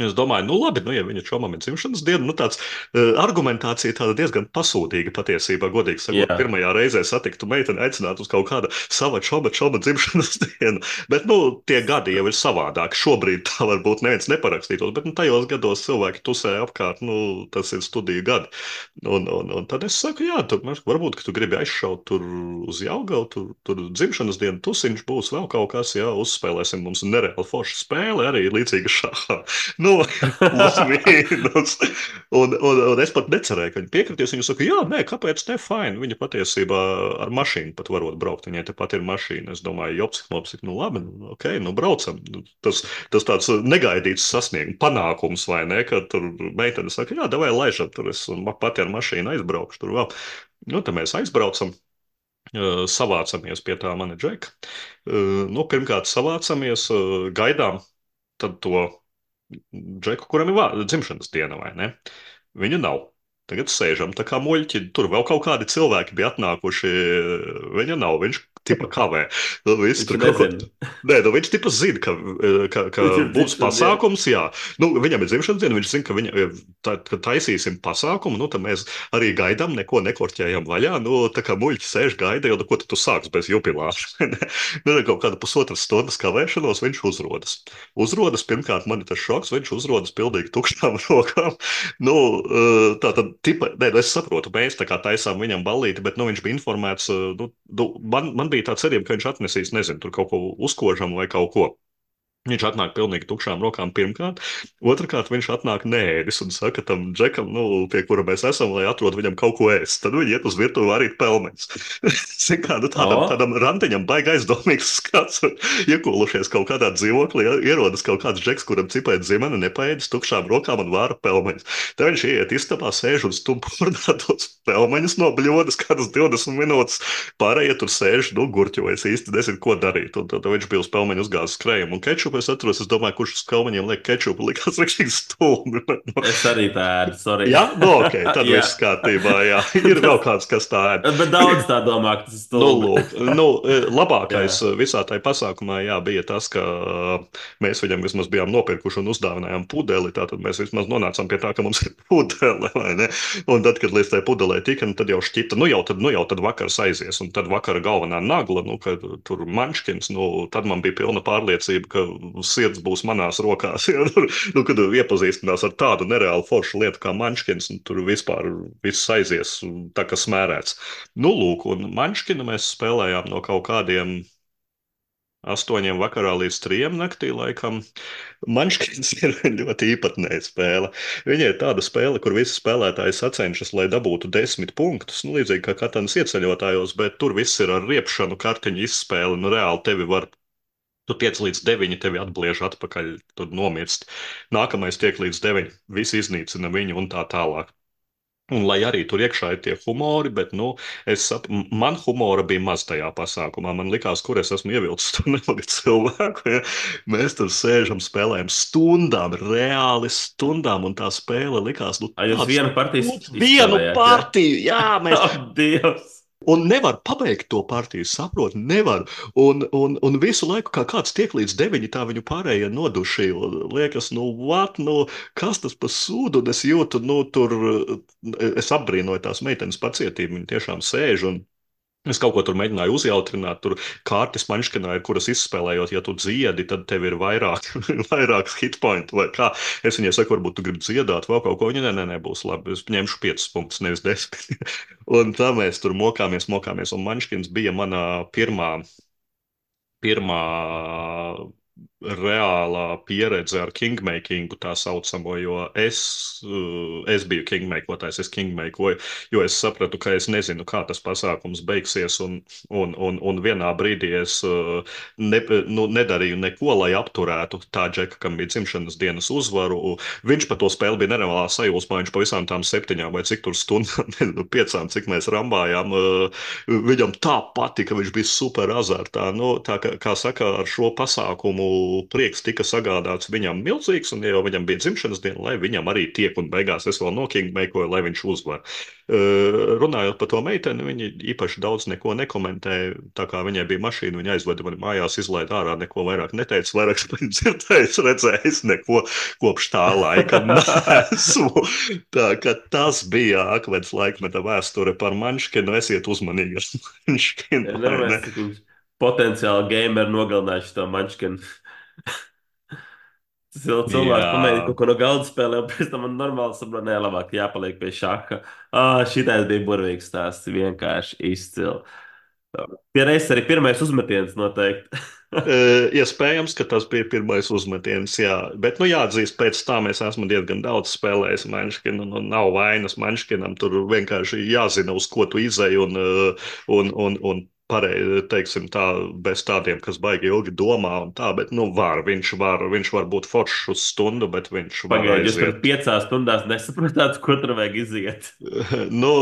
Es domāju, nu labi, nu, ja viņa čomam ir dzimšanas diena, nu tāds argumentācija tāda diezgan pasūtīga patiesībā, godīgi sakot, Jā. pirmajā reizē satiktu meiteni aicināt uz kaut kāda sava čoma dzimšanas dienu, bet, nu, tie gadi jau ir savādāki. Šobrīd tā varbūt neviens neparakstītos, bet, nu, tajos gados cilvēki tusē apkārt, nu, tas ir studiju gadi. Un tad es saku, jā, tur, varbūt, ka tu gribi aizšaut tur uz Jelgavu, tur dzimšanas dienu tusiņš būs vēl kaut kas, jā, uzspēlēsim mums nereāli forša spēle, arī līdzīga šahā. Nu, plus mīnus. Un es pat necerēju, ka viņi piekritīs. Viņa saka, jā, nē, kāpēc ne, fine. Viņa patiesībā ar mašīnu pat varot braukt. Viņai tepat ir mašīna. Es domāju, jopsik, mopsik, nu labi, nu, ok, nu braucam. Tas tāds negaidīts sasniegums, panākums, vai ne, kad tur meitene saka, jā, davai laižam, tur es pati ar mašīnu aizbraukšu tur vēl. Nu, tad mēs aizbraucam. Savācamies pie tā mana džeka. Nu, pirmkārt, savācamies, gaidām tad to džeku, kuram ir dzimšanas diena, vai ne? Viņu nav. Tagad sēžam tā kā muļķi. Tur vēl kaut kādi cilvēki bija atnākuši. Viņa nav. Viņš tipa kavē. Nu, viss Viņš tur kaut ko. nezina. Nē, nu, viņš tipa zina, ka Viņš ir būs dzimšanas diena. pasākums, jā. Nu, viņam ir dzimšanas diena, viņš zina, ka kad taisīsim pasākumu, nu, tad mēs arī gaidām, neko nekorķējam vaļā. Nu, tā kā muļķi sēž gaida, jo, nu, ko tu sāks bez jubilāša? Nu, kaut kāda pusotras stundas kavēšanos viņš uzrodas. Uzrodas, pirmkārt, man ir tas šoks, viņš uzrodas pilnīgi tukšām rokām. Nu, tā tad, tipa, nē, nu, es saprotu, mēs tā kā taisām viņam ballīti, bet, nu, viņš bija informēts, man bija tā cerība, ka viņš atnesīs, nezinu, tur kaut ko uzkožam vai kaut ko. Viņš atnāk pilnīgi tukšām rokām pirmkārt. Otrakārt, viņš atnāk nēdis un saka tam džekam, nu, pie kura mēs esam, lai atrod viņam kaut ko ēst. Tad viņi iet uz virtuvi varīt pelmeņus. Zin kā, nu, O, tādam randiņam baigi aizdomīgs skats. Iekolušies kaut kādā dzīvoklī, ierodas kaut kāds džeks, kuram cipēt zimene, nepaēdis tukšām rokām un vāra pelmeņus. Tad viņš iet istabā, sēž un stumpurnā tos pelmeņus no bļodas kādas 20 minūtes. Pārējie tur sēž, nu, gurķojas īsti nezinu, ko darīt. Un tad viņš bija uz pelmeņu uzgāzis krējumu un kečupu. Es atceros, es domāju, kurš uz pelmeņiem liek kečupu, likās rīktīgi stulbi. es arī tā ēdu, sorry. Jā, nu, ok, tad Jā. viss kārtībā, jā. Ir vēl kāds, kas tā ēd. Bet daudz tā domā, ka tas ir Nu, stulbi. lūk, nu, labākais Jā. visā tajā pasākumā jā, bija tas, ka mēs viņam vismaz bijām nopirkuši un uzdāvinājām pudeli. Tātad mēs vismaz nonācām pie tā, ka mums ir pudele, vai ne? Un tad, kad līdz tai pudelē tika, nu, tad jau šķita, nu jau tad vakars aizies. Un tad vakara galvenā nagla, nu, kad tur manškins, nu, tad man bija pilna pārliecība, ka sirds būs manās rokās. Ja? Nu, kad iepazīstinās ar tādu nereālu foršu lietu kā manškins, un tur vispār viss aizies tā, kā smērēts. Nu, lūk, un manškinu mēs spēlējām no kaut kādiem 8 vakarā līdz 3 naktī, laikam. Manškins ir ļoti īpatnēja spēle. Viņa ir tāda spēle, kur visi spēlētāji sacenšas, lai dabūtu 10 punktus. Nu, līdzīgi kā Katanas ieceļotājos, bet tur viss ir ar riepšanu, kartiņu izspēli. Nu, reāli tevi var. Tu tiec līdz 9, tevi atbliež atpakaļ, tad nomirsti. Nākamais tiek līdz 9, visi iznīcina viņu un tā tālāk. Un lai arī tur iekšā ir tie humori, bet, nu, man humora bija maz tajā pasākumā. Man likās, kur es esmu ievilcis to nelielu cilvēku. Ja? Mēs tur sēžam, spēlējam stundām, reāli stundām, un tā spēle likās, nu, Ai, jūs tāds, vienu partiju vienu izspēlējāt, ja? partiju, jā, mēs. Ak, Dievs! Un nevar pabeigt to partiju, saprot, nevar. Un visu laiku, kā kāds tiek līdz 9, tā viņu pārējie noduši. Liekas, nu, what, nu, kas tas par sūdu? Un es jūtu, nu, tur, es apbrīnoju tās meitenes pacietību. Viņi tiešām sēž un es kaut ko tur mēģināju uzjautrināt. Tur kārtas manškinā ir, kuras izspēlējot, ja tu dziedi, tad tev ir vairāk, vairākas hitpointu vai kā. Es viņai saku, varbūt tu gribi dziedāt vēl kaut ko. Viņa, nē, būs labi. Es ņemšu 5 punktus, nevis 10. Un tā mēs tur mokāmies. Un manškins bija mana pirmā reālā pieredze ar kingmakingu, tā saucamo, jo es biju kingmakotājs, es kingmakoju, jo es sapratu, ka es nezinu, kā tas pasākums beigsies, un vienā brīdī es nedarīju neko, lai apturētu tā džeka, kam bija dzimšanas dienas uzvaru. Viņš par to spēli bija nereālā sajūsmā, viņš pa visām tām 7 vai cik tur stundām, nezinu, 5, cik mēs rambājām, viņam tā patika, viņš bija super azartā. Nu, tā kā saka, ar šo pasākumu prieks tika sagādāts viņam milzīgs, un jau viņam bija dzimšanas diena, lai viņam arī tiek, un beigās es vēl nokingmeikoju, lai viņš uzvar. Runājot par to meiteni, viņa īpaši daudz neko nekomentēja, tā kā viņai bija mašīna, viņa aizveda mani mājās, izlaida ārā, neko vairāk neteica, vairāk dzirdējis, redzējis, neko kopš tā laika nesmu. Tā ka tas bija akmens laikmeta vēsture par manškinu, esiet uzmanīgi ar manškinu, vai ne? Nedomāju, cik viņš potenciāli gameru nogalinājuši to mančkinu. Tas jau cilvēks pamēģina Jā. kaut ko no galda spēlē, un pēc tam man normāli saprot, nē, labāk jāpaliek pie šaha. Šitais bija burvīgs stāsts, vienkārši izcili. Pierreiz arī pirmais uzmetiens noteikti. Iespējams, ka tas bija pirmais uzmetiens, jā. Bet, nu, jāatzīst, pēc tam es esmu diezgan daudz spēlējis Manškinu, un nav vainas Manškinam. Tur vienkārši jāzina, uz ko tu izēji, un pareizi, teiksim tā, bez tādiem, kas baigi ilgi domā un tā, bet, nu, viņš var būt foršs uz stundu, bet viņš var Pagaidiet, jūs tur aiziet. 5 stundās nesapratāt, ko tur vajag iziet. Nu,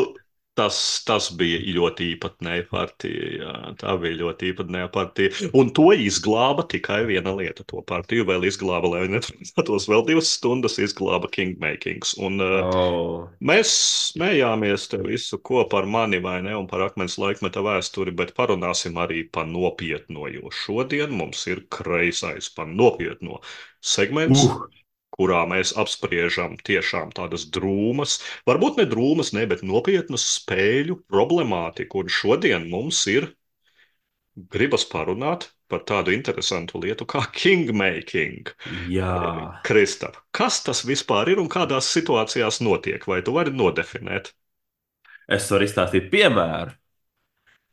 Tas bija ļoti īpatnēja partija. Jā, tā bija ļoti īpatnēja partija. Un to izglāba tikai viena lieta. To partiju vēl izglāba, lai neturpinātos vēl 2 stundas, izglāba Kingmakings. Un Oh, mēs smējāmies te visu, ko par mani vai ne, un par akmens laikmeta vēsturi, bet parunāsim arī par nopietno, jo šodien mums ir kreisais par nopietno segments, uh, kurā mēs apspriežam tiešām tādas drūmas, varbūt ne drūmas, ne, bet nopietnas spēļu problemātiku. Un šodien mums ir gribas parunāt par tādu interesantu lietu kā kingmaking. jā. Kristap, kas tas vispār ir un kādās situācijās notiek? Vai tu vari nodefinēt? Es varu izstāstīt piemēru.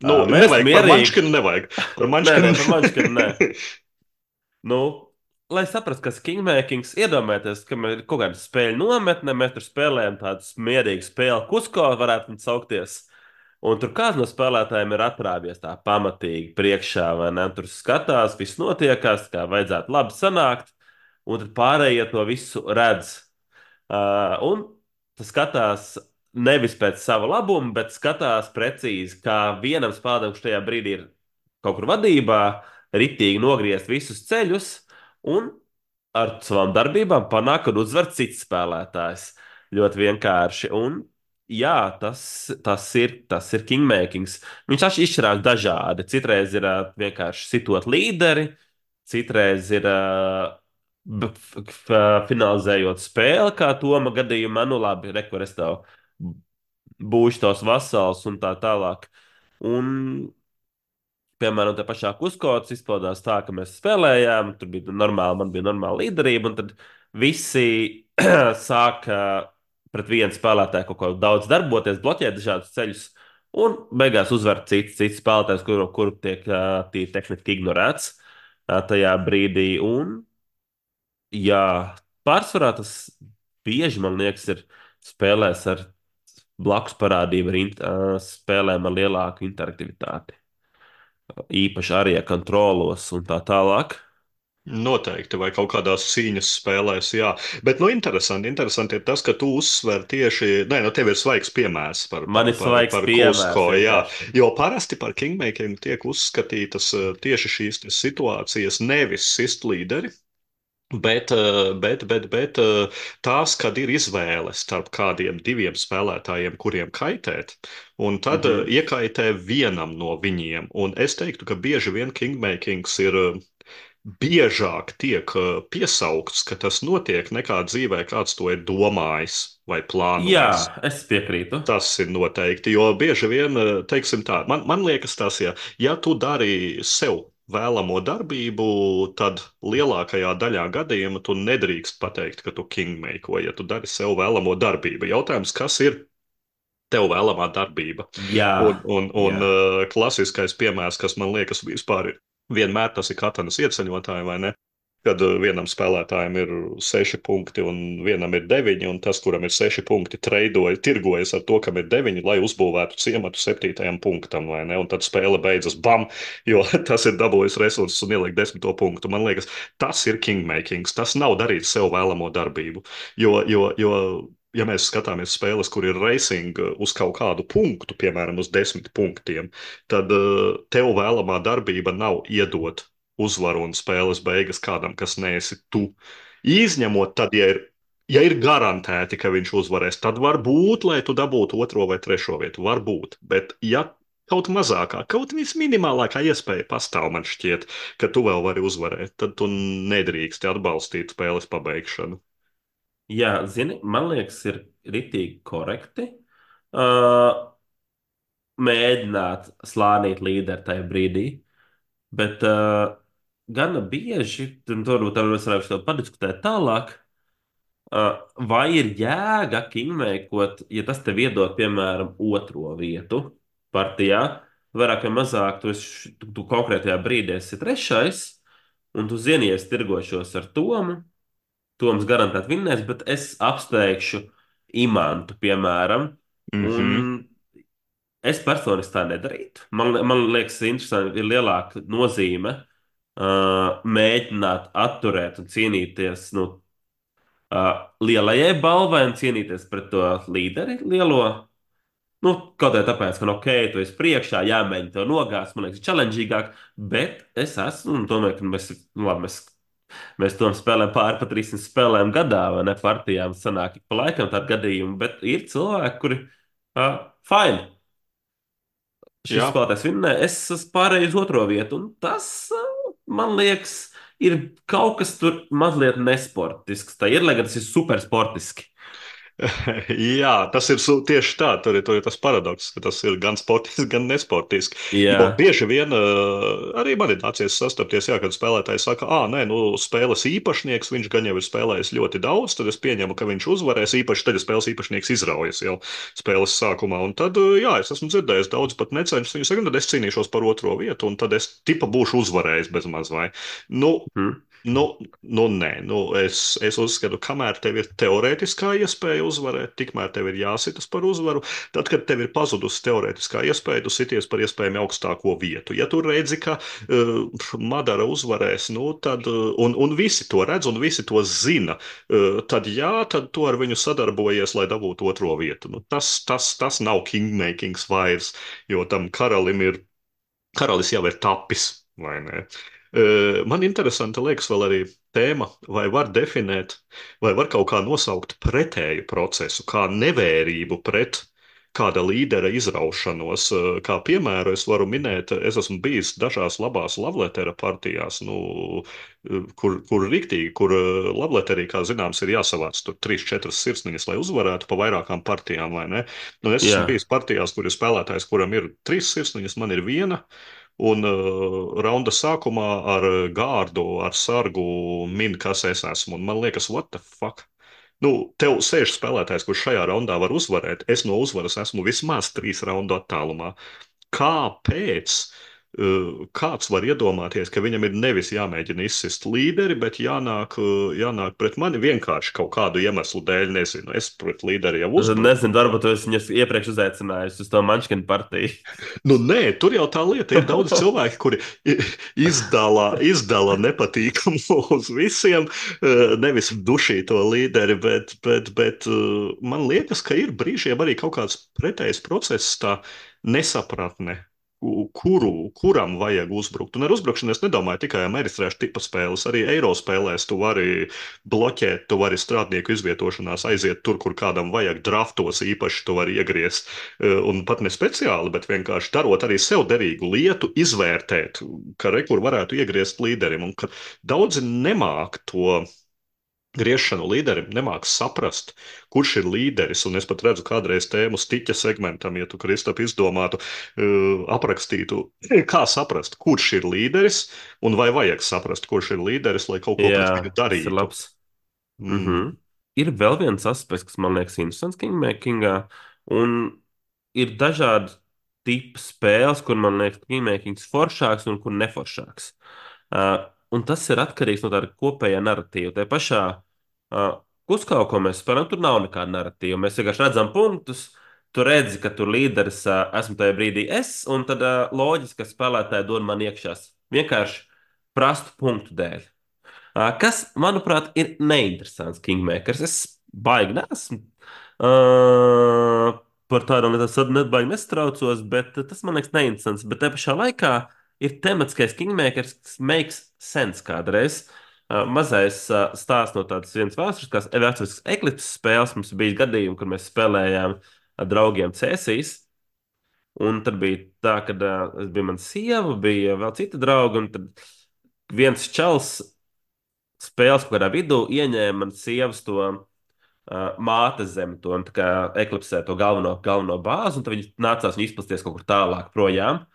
Nu, Mēs nevajag par mierīgi. manškinu, nevajag. Par Nē, manškinu. par manškinu nē. Nu, lai saprastu, kas ir kingmakings, iedomājieties, ka ir kaut kāda spēļu nometne, mēs tur spēlējam tādu mierīgu spēli, kusko varētu viņu saukties. Un tur kāds no spēlētājiem ir atrāvies tā pamatīgi priekšā, vai ne? Tur skatās, viss notiekās, kā vajadzētu labi sanākt, un tad pārējie to visu redz. Un tas skatās nevis pēc sava labuma, bet skatās precīzi, kā vienam spēlētājam, kurš tajā brīdī ir kaut kur vadībā, ritīgi nogriezt visus ceļus un ar savām darbībām panāk, ka uzvar cits spēlētājs. Ļoti vienkārši. Un, jā, tas ir kingmakings. Viņš izšķirās dažādi. Citreiz ir vienkārši sitot līderi, citreiz ir finalizējot spēli, kā Toma gadījumā, nu labi, rekur es tev būšu tos vasals un tā tālāk. Un piemēram, tā pašā Kuskots izpaudās tā, ka mēs spēlējām, tur bija normāli, man bija normāla līderība, un tad visi sāka pret vienu spēlētāju kaut ko daudz darboties, bloķēt dažādus ceļus, un beigās uzvar cits spēlētājs, kuru tiek tīri tehniski ignorēts tajā brīdī. Un, jā, pārsvarā tas bieži, man liekas, ir spēlēs ar blakus parādību, spēlēm ar lielāku interaktivitāti īpaši arī kontrolos un tā tālāk. Noteikti, vai kaut kādās cīņas spēlēs, jā. Bet, nu, interesanti ir tas, ka tu uzsver tieši, nē, nu, tev ir svaigs piemērs par, Man par, ir par, svaigs par piemērs Kusko, jā. vienkārši. Jo parasti par kingmaking tiek uzskatītas tieši šīs te situācijas nevis sist līderi, bet tās, kad ir izvēle starp kādiem diviem spēlētājiem, kuriem kaitēt, un tad Mhm. iekaitē vienam no viņiem. Un es teiktu, ka bieži vien kingmakings ir biežāk tiek piesaukts, ka tas notiek nekā dzīvē, kāds to ir domājis vai Jā, plānojis. es piekrītu. Tas ir noteikti, jo bieži vien, teiksim tā, man liekas tas, ja tu dari sev vēlamo darbību, tad lielākajā daļā gadījumu tu nedrīkst pateikt, ka tu kingmaker, ja tu dari sev vēlamo darbību. Jautājums, kas ir tev vēlamā darbība? Jā, Un jā. klasiskais piemērs, kas man liekas vispār ir, vienmēr tas ir Katanas ieceļotāji, vai ne? Kad vienam spēlētājam ir 6 punkti un vienam ir 9, un tas, kuram ir 6 punkti, tirgojas ar to, kam ir 9, lai uzbūvētu ciematu 7. punktam, vai ne? Un tad spēle beidzas bam, jo tas ir dabūjis resursus un ieliek 10. punktu. Man liekas, tas ir kingmakings. Tas nav darīt sev vēlamo darbību. Jo ja mēs skatāmies spēles, kur ir racing uz kaut kādu punktu, piemēram, uz 10 punktiem, tad tev vēlamā darbība nav iedot uzvaru un spēles beigas kādam, kas neesi tu. Izņemot tad, ja ir garantēti, ka viņš uzvarēs, tad var būt, lai tu dabūtu 2. vai 3. vietu. Var būt. Bet, ja kaut mazākā, kaut visminimālākā iespēja pastāv, man šķiet, ka tu vēl vari uzvarēt, tad tu nedrīksti atbalstīt spēles pabeigšanu. Jā, zini, man liekas, ir ritīgi korekti. Uh, Mēģināt slānīt līderi tajā brīdī, bet gana bieži, un tur mēs varētu padiskutēt tālāk, vai ir jēga kingmēkot, ja tas tev iedod, piemēram, 2. vietu partijā, vairāk vai mazāk, tu konkrētajā brīdī esi 3. Un tu zinies, tirgošos ar Tomu. Toms garantēti vinnēs, bet es apsteigšu Imantu, piemēram. Mhm. Un es personiski tā nedarītu. Man liekas, interesanti ir lielāka nozīme mēģināt atturēt un cīnīties nu, lielajai balvai un cīnīties pret to līderi lielo. Nu, kaut kā tāpēc, ka, nu, ok, tu esi priekšā, jāmēģina to nogāzt, man liekas, challengīgāk, bet es esmu, un tomēr, ka mēs, nu, labi, mēs to spēlējam pāri pat 300 spēlēm gadā, vai ne, partijām sanāk ik pa laikam tādu gadījumu, bet ir cilvēki, kuri, fine, šis Jā. spēlētājs vinnē, es esmu pārējis uz otro vietu, un tas, man liekas, ir kaut kas tur mazliet nesportisks. Tā ir, lai gan tas ir supersportiski. Jā, tas ir tieši tā. Tur ir tas paradoks, ka tas ir gan sportiski, gan nesportiski. Jo Jā, bieži vien arī man ir nācies sastapties, jā, kad spēlētājs saka, ah, nē, nu, spēles īpašnieks, viņš gan jau ir spēlējis ļoti daudz, tad es pieņemu, ka viņš uzvarēs īpaši, tad ja spēles īpašnieks izraujas jau spēles sākumā. Un tad, jā, es esmu dzirdējis daudz pat necenšos. Viņi saka, nu, tad es cīnīšos par otro vietu, un tad es tipa būšu uzvarējis bez maz vai. Nu, hm. nē, es uzskatu, kamēr tev ir teorētiskā iespēja uzvarēt, tikmēr tev ir jāsitas par uzvaru. Tad, kad tev ir pazudusi teorētiskā iespēja, tu sities par iespējami augstāko vietu. Ja tu redzi, ka Madara uzvarēs, nu, tad, un visi to redz, un visi to zina, tad jā, tad tu ar viņu sadarbojies, lai dabūtu otro vietu. Nu, tas nav kingmakings vairs, jo tam karalis jau ir tapis, vai ne? Man interesanti liekas vēl arī tēma, vai var definēt, vai var kaut kā nosaukt pretēju procesu, kā nevērību pret kāda līdera izraušanos. Kā piemēru es varu minēt, es esmu bijis dažās labās lavletera partijās, nu, kur riktīgi, kur lavleterī, kā zināms, ir jāsavāc tur 3-4 sirsniņas, lai uzvarētu pa vairākām partijām, vai ne? Nu, es esmu Jā. bijis partijās, kur ir spēlētājs, kuram ir 3 sirsniņas, man ir viena. Un raunda sākumā ar gārdu, ar sargu min, kas es esmu. Un man liekas, what the fuck? Nu, tev sēž spēlētājs, kurš šajā raundā var uzvarēt. Es no uzvaras esmu vismaz 3 raundu attālumā. Kāpēc? Kāds var iedomāties, ka viņam ir nevis jāmēģina izsist līderi, bet jānāk pret mani vienkārši kaut kādu iemeslu dēļ, nezinu. Es pret līderi jau Es uzbruku. nezinu, varbūt es viņus iepriekš uzaicināju uz to Mančkinu partiju. Nu, nē, tur jau tā lieta ir daudz cilvēku, kuri izdala nepatīkamu uz visiem, nevis dušīto līderi, bet man liekas, ka ir brīžiem arī kaut kāds pretējs process, tā nesapratne. Kuram vajag uzbrukt? Un ar uzbrukšanu es nedomāju tikai amerikāņu tipa spēles, arī eiro spēlēs tu vari bloķēt, tu vari strādnieku izvietošanās aiziet tur, kur kādam vajag draftos īpaši, tu vari iegriezt. Un pat ne speciāli, bet vienkārši darot arī sev derīgu lietu, izvērtēt, ka rekur varētu iegriezt līderim. Un ka daudzi nemāk to griešanu līderim, nemāk saprast, kurš ir līderis. Un es pat redzu, kādreiz tēmu stiķa segmentam, ja tu, Kristap, izdomātu, aprakstītu, kā saprast, kurš ir līderis, un vai vajag saprast, kurš ir līderis, lai kaut ko pret viņu Jā, tas ir darītu. labs. Mm. Mhm. Ir vēl viens aspekts, kas man liekas interesants Kingmakingā, un ir dažādi tipi spēles, kur man liekas Kingmakings foršāks un kur neforšāks. Un tas ir atkarīgs no tāda kopējā narratīva. Tā pašā kuskā, ko mēs spēlējam, tur nav nekāda narratīva. Mēs vienkārši redzam punktus, tu redzi, ka tur līderis esmu tajā brīdī es, un tad loģiski, ka spēlētāji dod man iekšā vienkārši prastu punktu dēļ. Kas, manuprāt, ir neinteresants Kingmakers. Es baigi nesmu par tādām lietām, nebaigi nestraucos, bet tas man liekas neinteresants. Bet te pašā laikā ir tematiskais Kingmakers, kas makes sense kādreiz. Mazais stāsts no tādas vienas vēsturiskas eklipses spēles. Mums bija gadījumi, kur mēs spēlējām ar draugiem Cēsīs. Un tad bija tā, ka es biju mana sieva, bija vēl cita drauga, un tad viens čels spēles kaut kādā vidū ieņēma manas sievas to mātes zemi, to tā kā eklipsē to galveno bāzi, un tad viņi nācās viņu izplasties kaut kur tālāk projām.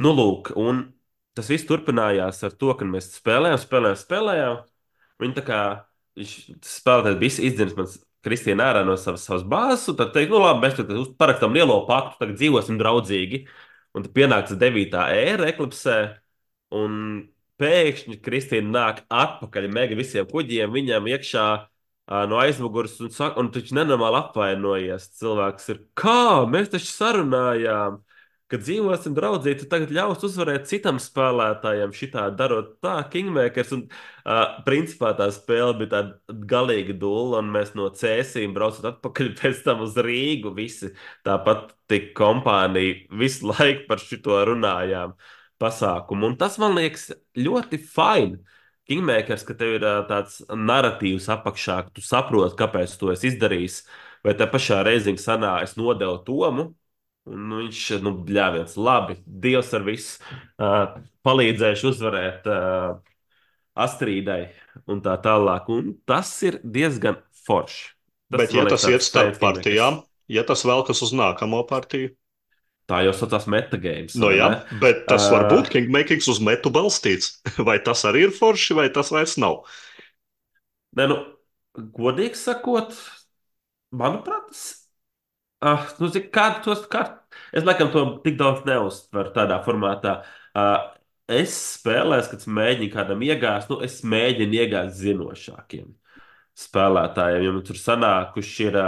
Nu, lūk, un tas viss turpinājās ar to, ka mēs spēlējām. Viņi tā kā viņš spēlētājs bija izdzēris man Kristīnu ārā no savas bāzes, un tad teikt, nu labi, mēs tad parakstām lielo paktu, tagad dzīvosim draudzīgi. Un tad pienāca 9. ēra eklipsē, un pēkšņi Kristīna nāk atpakaļ mega visiem kuģiem, viņam iekšā no aizmugures, un taču nenormāli apvainojies. Cilvēks ir, kā mēs taču sarunājām, ka dzīvosim draudzīgi, tu tagad ļaus uzvarēt citam spēlētājam, šitā darot tā, Kingmakers. Un, principā tā spēle bija tāda galīga dūla, un mēs no Cēsīm braucot atpakaļ pēc tam uz Rīgu. Visi tāpat tik kompānija visu laiku par šito runājām pasākumu. Un tas man liekas ļoti fini. Kingmakers, ka tev ir tāds narratīvs apakšā, ka tu saproti, kāpēc tu esi izdarījis. Vai te pašā reizē sanā, es nodevu Tomu, un nu, viņš, nu, bļāviens, labi, Dievs ar visu palīdzēšu uzvarēt Astrīdai un tā tālāk. Un tas ir diezgan forši. Tas, Bet, ja man liekas, tas iet tāds starp spēcīgs Kingmakers. partijām, ja tas velkas uz nākamo partiju, Tā jau saucās metagames, nu vai jā, ne? bet tas var būt Uh, kingmakings uz metu balstīts. Vai tas arī ir forši, vai tas vairs nav? ne, nu, godīgi sakot, manuprāt, tas nu, kādu tos es laikam to tik daudz neuztveru tādā formātā. Es spēlēju, kad es mēģinu kādam iegāzt, nu, es mēģinu iegāzt zinošākiem spēlētājiem. Jo man tur sanākuši ir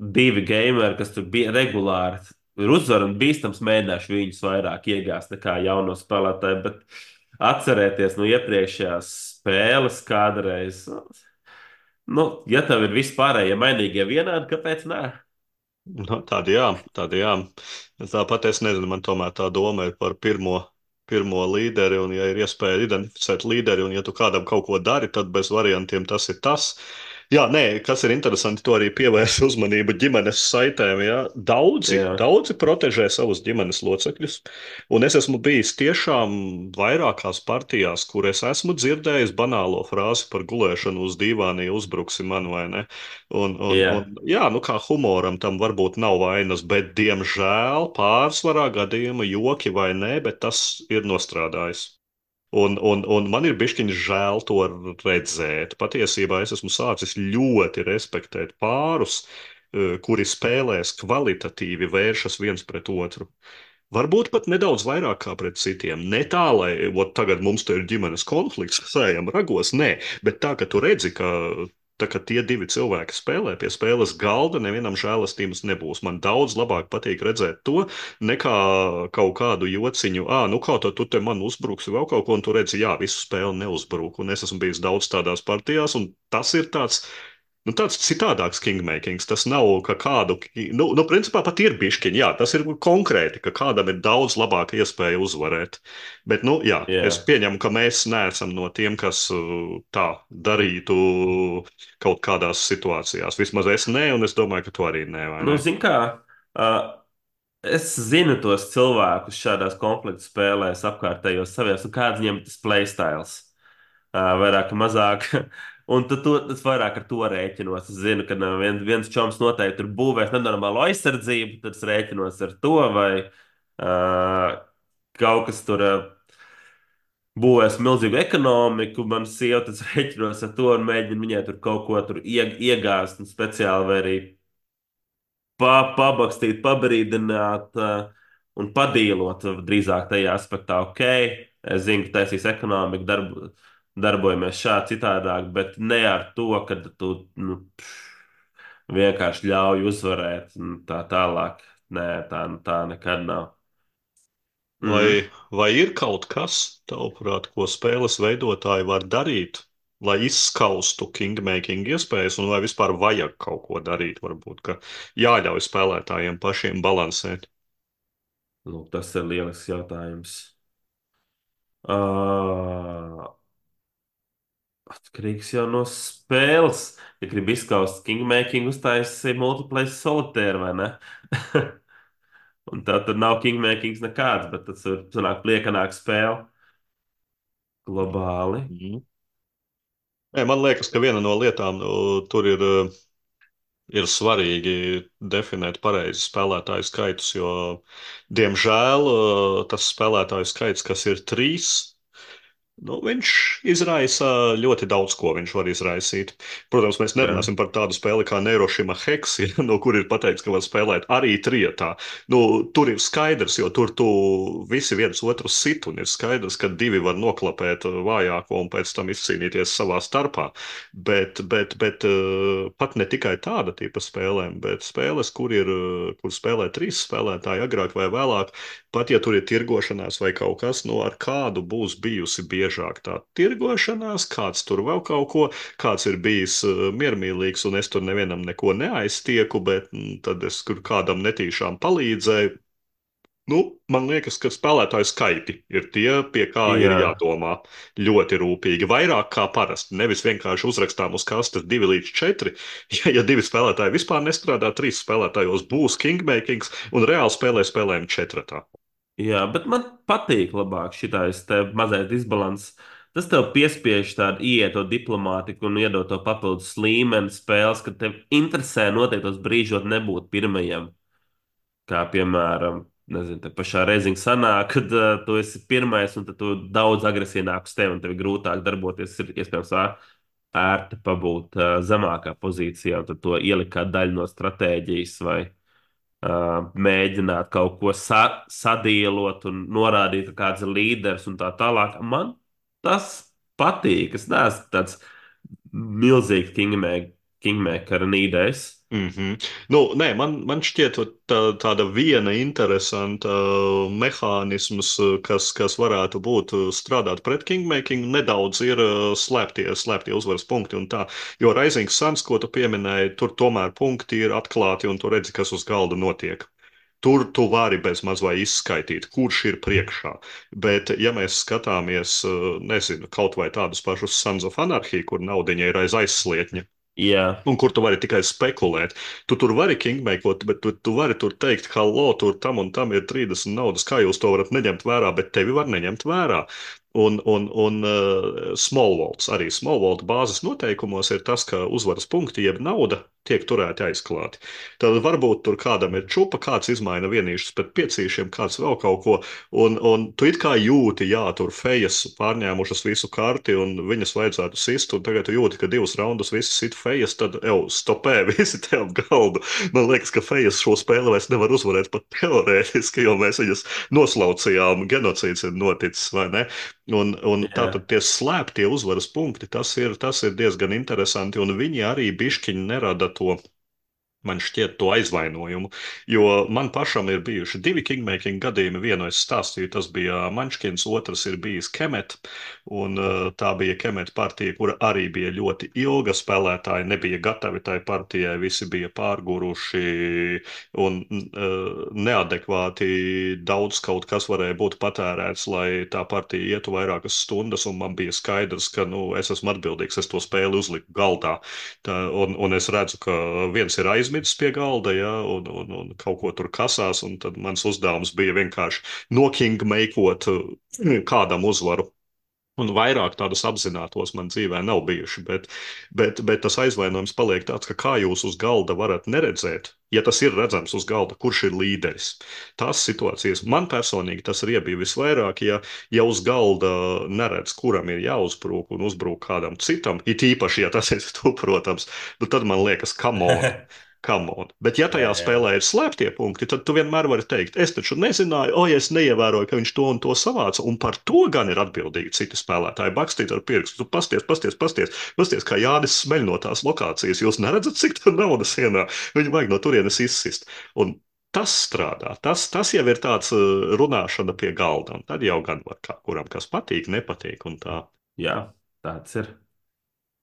divi gameri, kas tur bija regulāri. Ir uzvar un bīstams, mēģināšu viņus vairāk iegāzt nekā jauno spēlētāju. Bet atcerēties no iepriekšējās spēles kādreiz. Nu, ja tev ir vispārējie mainīgie vienādi, kāpēc nē? Nu, tāda jā. Tāpat es nezinu, man tomēr tā doma ir par pirmo līderi, un ja ir iespēja identificēt līderi, un ja tu kādam kaut ko dari, tad bez variantiem tas ir tas. Jā, nē, kas ir interesanti, to arī pievērsa uzmanību ģimenes saitēm. Jā. Jā, Daudzi protežē savus ģimenes locekļus, un es esmu bijis tiešām vairākās partijās, kur es esmu dzirdējis banālo frāzi par gulēšanu uz dīvāna, ja uzbruksi man vai ne. jā. Jā, nu kā humoram tam varbūt nav vainas, bet diemžēl pārsvarā gadījuma joki vai nē, bet tas ir nostrādājis. Un man ir bišķiņš žēl to redzēt. Patiesībā es esmu sācis ļoti respektēt pārus, kuri spēlēs kvalitatīvi, vēršas viens pret otru. Varbūt pat nedaudz vairāk kā pret citiem. Ne tā, lai ot, tagad mums te ir ģimenes konflikts, sējam ragos, nē, bet tā, ka tu redzi, ka tā, ka tie divi cilvēki spēlē pie spēles galda, nevienam žēlastības nebūs. Man daudz labāk patīk redzēt to, nekā kaut kādu jociņu, nu kā tu te man uzbruksi vēl kaut ko, un tu redzi, jā, visu spēli neuzbruk. Un es esmu bijis daudz tādās partijās, un tas ir tāds. Nu, tāds citādāks kingmakings. Tas nav, ka kādu, principā pat ir bišķiņi, jā, tas ir konkrēti, ka kādam ir daudz labāka iespēja uzvarēt. Bet, nu, jā, es Jā. pieņemu, ka mēs neesam no tiem, kas tā darītu kaut kādās situācijās. Vismaz es nē, un es domāju, ka tu arī nē, vai Nu, ne? zin kā, uh, es zinu tos cilvēkus šādās konfliktu spēlēs, apkārtējos saviem, un kāds viņiem ir tas playstyles. Vairāk vai mazāk. Un tad tas vairāk ar to rēķinos. Es zinu, ka viens čoms noteikti tur būvēs nenormālu aizsardzību, tad es rēķinos ar to, vai kaut kas tur būvēs milzīgu ekonomiku. Man sieva tas rēķinos ar to un mēģina viņai tur kaut ko tur iegāzt un speciāli vai arī pabakstīt, pabrīdināt un padīlot drīzāk tajā aspektā, ok, es zinu, ka taisīs ekonomiku, darbojamies šādi citādāk, bet ne ar to, ka tu nu, vienkārši ļauj uzvarēt un tā tālāk. Nē, tā nekad nav. Vai, Mm. vai ir kaut kas, tavuprāt, ko spēles veidotāji var darīt, lai izskaustu kingmaking iespējas, un vai vispār vajag kaut ko darīt? Varbūt, ka jāļauj spēlētājiem pašiem balansēt. Lūk, tas ir lielisks jautājums. Uh, Atkarīgs jau no spēles. Ja gribi izskaust Kingmaking, uztaisīt multiplayer solitēru, vai ne? Un tā tad nav Kingmakings nekāds, bet tas ir sanāk pliekanāk spēle globāli. Mhm. Nē, man liekas, ka viena no lietām tur ir svarīgi definēt pareizi spēlētāju skaitus, jo, diemžēl, tas spēlētāju skaits, kas ir trīs, Nu, viņš izraisa ļoti daudz ko. Viņš var izraisīt. Protams, mēs Jā, nerunāsim par tādu spēli kā Neirošima Hex, ja, no kur ir pateikts, ka var spēlēt arī trietā. Nu, tur ir skaidrs, jo tur tu visi viens otru sit, un ir skaidrs, ka divi var noklapēt vājāko un pēc tam izcīnīties savā starpā. Bet pat ne tikai tāda tipa spēlēm, bet spēles, kur spēlē trīs spēlētāji agrāk vai vēlāk. Pat ja tur ir tirgošanās vai kaut kas, no ar kādu būs bijusi biežāk tā tirgošanās, kāds tur vēl kaut ko, kāds ir bijis miermīlīgs, un es tur nevienam neko neaiztieku, bet tad es kur kādam netīšām palīdzēju. Nu, man liekas, ka spēlētāju skaiti ir tie, pie kā ir jā, jādomā ļoti rūpīgi. Vairāk kā parasti. Nevis vienkārši uzrakstām uz kastes 2 līdz 4. Ja divi spēlētāji vispār nestrādā, 3 spēlētājos būs kingmakings un reāli spēlējam četratā. jā, bet man patīk labāk šitais te mazais disbalans. Tas tev piespiež tādu ieto diplomātiku un iedot to papildus līmeni spēles, ka tev interesē noteiktos brīžos nebūt pirmajam. Kā piemēram, nezinu, te pašā reizē sanāk, kad tu esi pirmais un tad tu daudz agresīvāk uz tevi un tev ir grūtāk darboties. Ir iespējams ērti pabūt zemākā pozīcijā un tad to ielikt kā daļu no stratēģijas vai mēģināt kaut ko sadīlot un norādīt, ka kāds ir līderis un tā tālāk. Man tas patīk. Es neesmu tāds milzīgs kingmaker nīdējs. Mhm. Nu, nē, man šķiet, tāda viena interesanta mehānisms, kas varētu būt strādāt pret kingmaking, nedaudz ir slēptie uzvaras punkti un tā. Jo Rising Suns, ko tu pieminēji, tur tomēr punkti ir atklāti un tu redzi, kas uz galda notiek. Tur tu vari bez maz vai izskaidrot, kurš ir priekšā. Bet, ja mēs skatāmies, nezinu, kaut vai tādus pašus Sons of Anarchy, kur naudiņa ir aiz aizslietņa, Jā, un kur tu vari tikai spekulēt. Tu tur vari kingmakot, bet tu vari tur teikt, hallo, tur tam un tam ir 30 naudas, kā jūs to varat neņemt vērā, bet tevi var neņemt vērā. Un Small Worlds, arī Small World bāzes noteikumos ir tas, ka uzvaras punkti jeb nauda tiek turēti aizklāti. Tad varbūt tur kādam ir čupa, kāds izmaina vienīšus pret piecīšiem, kāds vēl kaut ko, un tu it kā jūti, jā, tur fejas pārņēmušas visu karti, un viņas vajadzētu sist, un tagad tu jūti, ka 2 raundus visi sit fejas, tad jau stopē visi te ap galdu. Man liekas, ka fejas šo spēli vairs nevar uzvarēt pat teorētiski, jo mēs viņas noslaucījām, genocīds ir noticis, vai ne? Un jā, tātad tie slēptie uzvaras punkti, tas ir diezgan interesanti, un viņi arī bišķiņi nerada to. Man šķiet, to aizvainojumu. Jo man pašam ir bijuši 2 kingmaking gadījumi. Vienu es stāstīju, tas bija Mančkins, otrs ir bijis Kemet. Un tā bija Kemet partija, kura arī bija ļoti ilga. Spēlētāji nebija gatavi tai partijai, visi bija pārguruši un neadekvāti daudz kaut kas varēja būt patērēts, lai tā partija ietu vairākas stundas. Un man bija skaidrs, ka nu, es esmu atbildīgs, es to spēli uzliku galdā. Un es redzu, ka viens ir aizmidzis pie galda, ja, un kaut ko tur kasās, un tad mans uzdevums bija vienkārši nokingmeikot kādam uzvaru. Un vairāk tādus apzinātos man dzīvē nav bijuši, bet tas aizvainojums paliek tāds, ka kā jūs uz galda varat neredzēt, ja tas ir redzams uz galda, kurš ir līderis. Tās situācijas man personīgi tas ir iebija visvairāk, ja uz galda neredz, kuram ir jāuzbrūk un uzbrūk kādam citam, it īpaši, ja tas ir tu, protams, nu tad man liekas, come on. Come on. Bet, ja tajā jā, jā. spēlē ir slēptie punkti, tad tu vienmēr vari teikt, es taču nezināju, o, ja es neievēroju, ka viņš to un to savāca, un par to gan ir atbildīgi citi spēlētāji. Bakstīt ar pirkstu, tu pasties, kā Jānis smeļ no tās lokācijas. Jūs neredzat, cik tā naudas ienāk. Viņu vajag no turienes izsist. Un tas strādā. Tas jau ir tāds runāšana pie galda, un tad jau gan var kā kuram kas patīk, nepatīk un tā. Jā, tāds ir.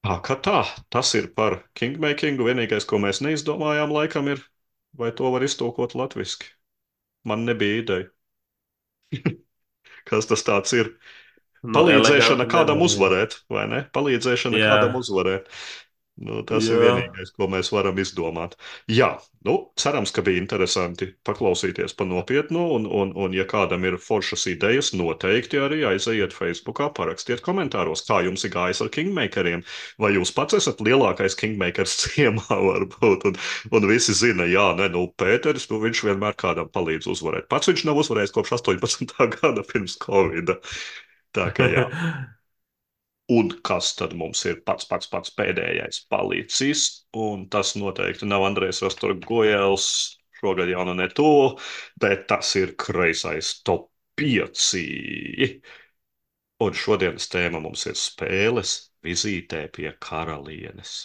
Tā kā tā, tas ir par kingmakingu. Vienīgais, ko mēs neizdomājām, laikam ir, vai to var iztulkot latviski. Man nebija ideja, kas tas tāds ir. Nu, Palīdzēšana eleganti kādam nevar. uzvarēt, vai ne? Palīdzēšana kādam Jā, uzvarēt. Nu, tas ir jā, vienīgais, ko mēs varam izdomāt. Jā, nu, cerams, ka bija interesanti paklausīties pa nopietnu, un ja kādam ir foršas idejas, noteikti arī aizejiet Facebookā, parakstiet komentāros, kā jums ir gājis ar kingmakeriem, vai jūs pats esat lielākais kingmakers ciemā, varbūt, un visi zina, jā, ne, nu, Pēteris, nu, viņš vienmēr kādam palīdz uzvarēt. Pats viņš nav uzvarējis kopš 18. gada pirms Covida. Tā kā jā. Un kas tad mums ir pats pēdējais palicis? Un tas noteikti nav Andrejs Rastorgojels, šogad jau nu ne to, bet tas ir kreisais top 5. Un šodienas tēma mums ir spēles vizītē pie karalienes.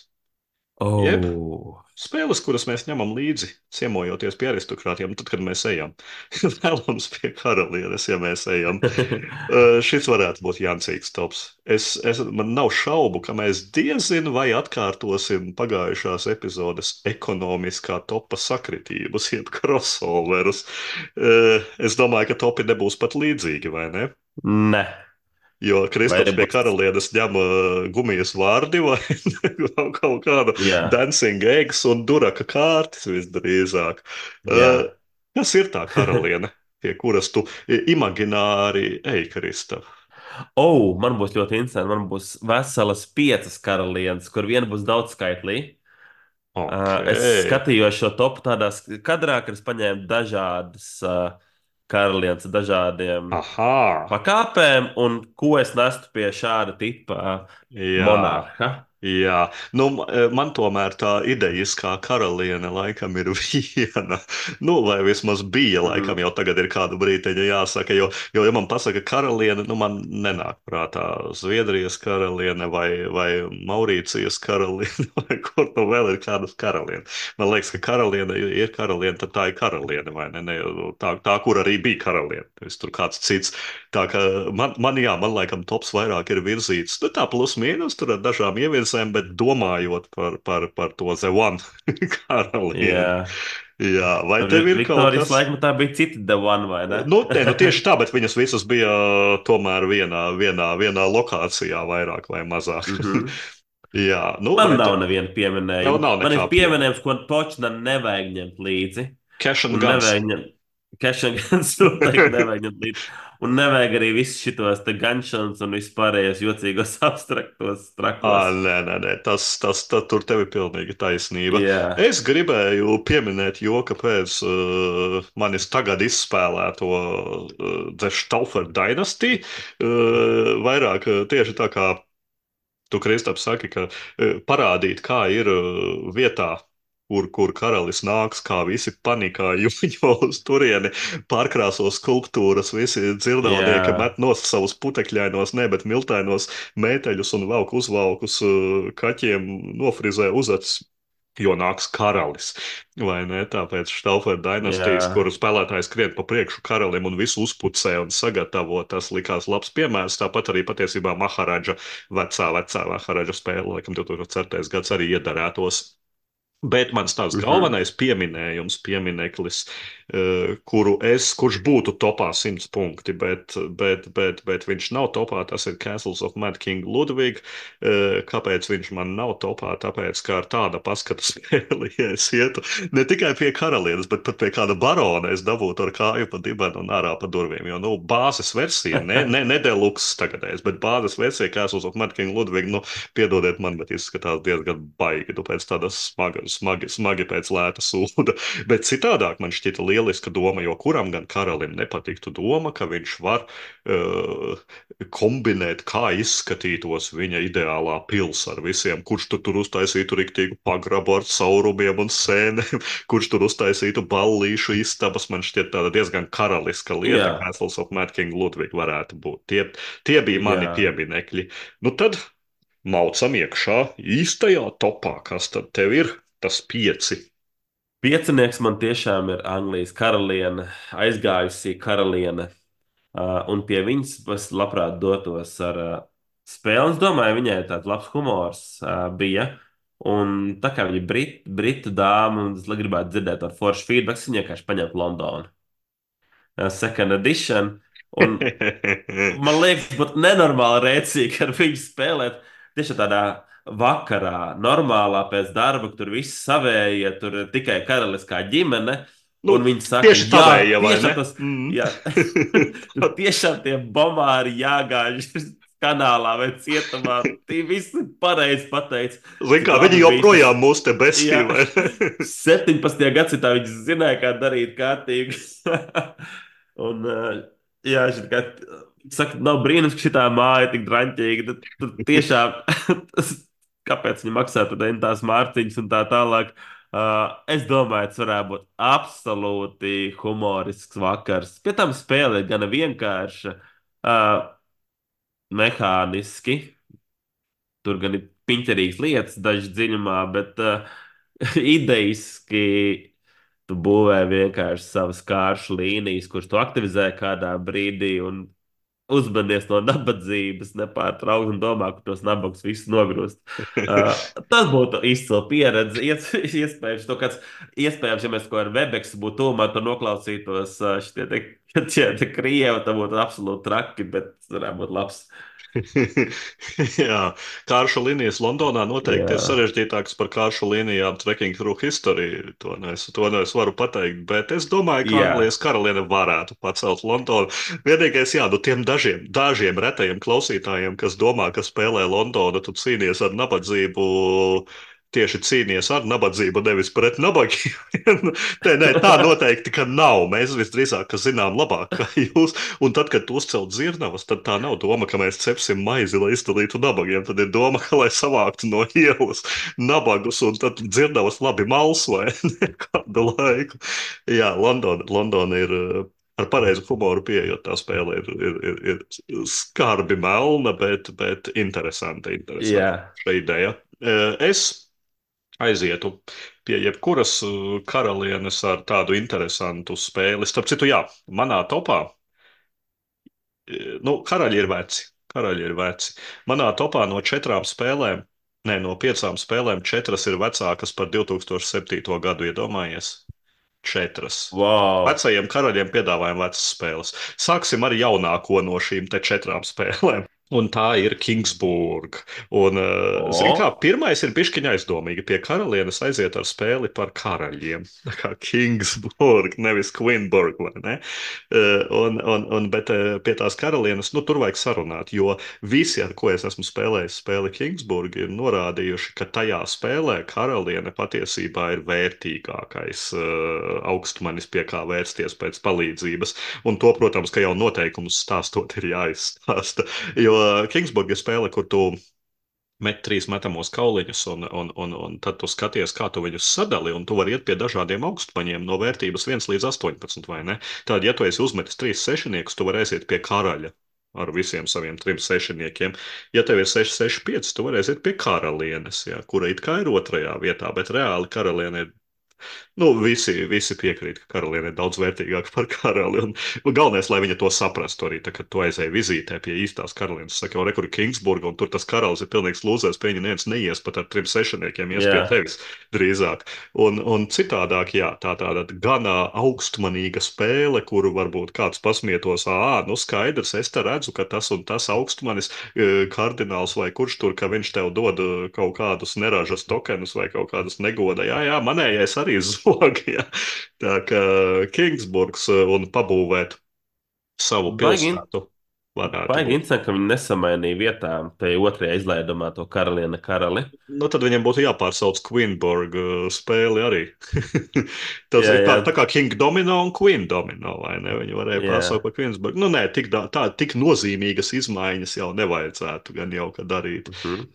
Jeb Oh. spēles, kuras mēs ņemam līdzi, ciemojoties pie aristokrātiem, tad, kad mēs ejam. Vēlams pie karalienes, ja mēs ejam. Šis varētu būt Jansīgs tops. Man nav šaubu, ka mēs diezinu vai atkārtosim pagājušās epizodes ekonomiskā topa sakritības, jeb crossoverus. Es domāju, ka topi nebūs pat līdzīgi, vai ne? Nē, Jo vai Kristaps arī pie būs? karalienes ņem gumijas vārdi vai kaut kādu Jā, dancing eggs un duraka kārtas visdrīzāk. jā. Kas ir tā karaliene, pie kuras tu imagināri ej, Kristap? Oh, man būs ļoti interesanti. Man būs veselas piecas karalienes, kur viena būs daudzskaitlī. Ok. Es skatījos šo topu tādās kadrā, kad es paņēmu dažādas karalienes, ar dažādiem Aha. pakāpēm, un ko es nestu pie šāda tipa Jā. monarha. Jā, nu, man tomēr tā idejiskā karaliene laikam ir viena. Nu, vai vismaz bija, laikam Mm. jau tagad ir kādu brīdiņu jāsaka, jo ja man pasaka karaliene, nu, man nenāk prātā Zviedrijas karaliene vai Maurīcijas karaliene, vai kur nu vēl ir kādas karaliene. Man liekas, ka karaliene ir karaliene, tad tā ir karaliene, vai ne? Tā kur arī bija karaliene, nevis tur kāds cits. Tā kā man laikam tops vairāk ir virzīts, nu tā plus mīnus, tur ar dažām ievirzēm, bet domājot par to The One karalieni. Jā, Jā, vai tev ir kaut Viktorijas kas? laikmetā bija cita The One, vai ne? Nu tieši tā, bet viņas visas bija tomēr vienā lokācijā, vairāk vai mazāk. Mhm. Jā, nu, Man vai nav tev, neviena tev pieminējuma. nav Man ir nekā pieminēt? pieminējums, ko točna nevajag ņemt līdzi. Cash and Un Guns. nevajag ņemt cash and guns noteikti nevajag ņemt līdzi. Un nevajag arī visus šitos te ganšanas un vispārējos jocīgos abstraktos trakos. Nē, tur tev ir pilnīgi taisnība. Jā, Es gribēju pieminēt joka pēc manis tagad izspēlēto The Stauffer Dynasty. Vairāk tieši tā kā tu, Kristap, saki, ka parādīt, kā ir vietā, kur karalis nāks, kā visi panikā, jo uz turieni pārkrāso skulptūras, visi dzirdalnieki jā, met nost savus putekļainos, ne, bet miltainos mēteļus un velk uzvalkus kaķiem, nofrizē uzacis. Jo nāks karalis, vai ne? Tāpēc Stauffer dinastijas, jā. kuru spēlētājs skrien pa priekšu karalim un visu uzpucē un sagatavo, tas likās labs piemērs. Tāpat arī patiesībā Maharadža, vecā Maharadža spēle, laikam 2004. gads arī iedarētos. Bet mans tāds Mhm. galvenais piemineklis, kurš būtu topā 100 punkti, bet viņš nav topā, tas ir Castles of Mad King Ludwig. Kāpēc viņš man nav topā? Tāpēc, kā ar tāda paskatu spēli, ja es ietu ne tikai pie karalienes, bet pat pie kāda barona, es dabūtu ar kāju pa dibenu un ārā pa durvīm. Jo, nu, bāzes versija, ne deluxe tagadējais, bet bāzes versija Castles of Mad King Ludwig, nu, piedodiet man, bet izskatās diezgan baigi. Tu pēc tādas smagi pēc lēta sūda. Bet citādāk man šķita lieliska doma, jo kuram gan karalim nepatiktu doma, ka viņš var kombinēt, kā izskatītos viņa ideālā pils ar visiem, kurš tur uztaisītu riktīgu pagrabu ar caurumiem un sēnēm, kurš tur uztaisītu ballīšu istabas. Man šķiet tāda diezgan karaliska lieta, Jā, Castles of Mad King Ludwig varētu būt. Tie bija mani jā. pieminekļi. Nu tad maucam iekšā īstajā topā, kas tad tev ir tas 5. Piecinieks man tiešām ir Anglijas karaliene, aizgājusī karaliene. Un pie viņas es labprāt dotos ar spēli. Es domāju, viņai tāds labs humors bija. Un tā kā viņa ir britu dāma, un es gribētu dzirdēt ar foršu feedback, es viņai vienkārši paņemtu Londonu. Second edition. Un man liekas, pat nenormāli rēcīgi ar viņu spēlēt. Tieši tādā vakarā, normālā pēc darba, kur tur viss savējie, tur ir tikai karaliskā ģimene. Nu, Un viņi saka, tieši jā, tavēja, vai ne? tiešām tas, jā, tiešām tie bomāri jāgāž kanālā vai cietumā. Tie visi pareizi pateica, Zin cik kā, viņi labi bija tas. joprojām mūs te Jā, besī, vai ne? 17. gadsimtā viņš zināja, kā darīt kārtīgi. Un, jā, šit kā, Saka, nav brīnums, ka šī māja ir tik draņķīga. Tad tiešām, kāpēc viņi maksā tad tās mārciņas un tā tālāk. Es domāju, tas varētu būt absolūti humorisks vakars. Pie tam spēle ir gana vienkārša, mehāniski. Tur gan ir piņķerīgas lietas, dažas dziļumā, bet idejiski tu būvē vienkārši savas kāršu līnijas, kuras tu aktivizē kādā brīdī un uzmanies no nabadzības nepārtraukti un domā, ka tos nabagus visus nogrūst. Tas būtu izcila pieredze. Iespējams, iespējams, ja mēs ko ar Webex būtu tūmā, tad noklausītos šie te krievi, tad būtu absolūti traki, bet varētu būt labs. Jā, kāršu līnijas Londonā noteikti ir Jā, sarežģītākas par kāršu līnijām Trekking Through History. To es varu pateikt, bet es domāju, ka jā, Anglijas karaliene varētu pacelt Londonu. Vienīgais, jā, nu tiem dažiem retajiem klausītājiem, kas domā, ka spēlē Londonu, tu cīnies ar nabadzību. Tieši cīnīties ar nabadzību, nevis pret nabagiem. Nē, tā noteikti ka nav. Mēs visdrīzāk ka zinām labāk, kā jūs. Un tad, kad uzcelt dzirnavas, tad tā nav doma, ka mēs cepsim maizi, lai izdalītu nabagiem. Tad ir doma, ka lai savāktu no ielas nabagus, un tad dzirnavas labi mals vai ne kādu laiku. Jā, Londona ir ar pareizu humoru pieejot. Tā spēle ir skarbi melna, bet interesanta, jā. interesanta šī ideja. Es aizietu pie jebkuras karalienes ar tādu interesantu spēli. Starp citu, jā, manā topā. Nu, karaļi ir veci. Karaļi ir veci. Manā topā no 4 spēlēm, ne no 5 spēlēm, 4 ir vecākas par 2007. gadu. Iedomājies, 4. Wow! Vecajiem karaļiem piedāvājam vecas spēles. Sāksim ar jaunāko no šīm 4 spēlēm. Un tā ir Kingsburg. Un, zini, kā O, pirmais ir pišķiņa aizdomīgi. Pie karalienes aiziet ar spēli par karaļiem. Tā kā Kingsburg, nevis Queenburg, vai ne? Bet pie tās karalienes, nu, tur vajag sarunāt, jo visi, ar ko es esmu spēlējis spēli Kingsburg, ir norādījuši, ka tajā spēlē karaliene patiesībā ir vērtīgākais augstmanis, pie kā vērsties pēc palīdzības. Un to, protams, ka jau noteikumus stāstot ir jāizstāsta. Jo Kingsburg ir spēle, kur tu met 3 metamos kauliņus, un tad tu skaties, kā tu viņus sadali, un tu vari iet pie dažādiem augstmaņiem no vērtības 1 līdz 18, vai ne? Tad, ja tu esi uzmetis 3 sešiniekus, tu vari aiziet pie karaļa ar visiem saviem 3 sešiniekiem. Ja tev ir 6, 6, 5, tu vari aiziet pie karalienes, ja, kura it kā ir otrajā vietā, bet reāli karaliene ir. Nu, visi piekrīt, ka karaliene ir daudz vērtīgāka par karali. Un galvenais, lai viņa to saprastu arī, tad, kad tu aizēji vizītē pie īstās karalienes. Saka, jau rekur ir Kingsburga, un tur tas karalis ir pilnīgs lūzers, pie viņa neviens neies pat ar 3 sešiniekiem, ies pie jā. tevis drīzāk. Un citādāk, jā, tā tāda ganā augstmanīga spēle, kuru varbūt kāds pasmietos, nu skaidrs, es te redzu, ka tas un tas augstmanis, kardināls vai kurš tur, ka viņš tev dod kaut kādus neražas tokenus vai kaut kādas negoda. Jā, manējais arī zog. Jā. Tā kā Kingsburgs un pabūvēt savu Baigi, pilsētu varētu baigi būt. interesanti, ka viņi nesamainīja vietām tajā otrajā izlaidumā to karalieni karali. Nu, tad viņam būtu jāpārsauc Queenburg spēli arī. Tas Jā, ir jā, tā kā King Domino un Queen Domino, vai ne? Viņi varēja jā. pārsaukt par Queensburg. Nu, nē, tik nozīmīgas izmaiņas jau nevajadzētu gan jau ka darīt. Mhm.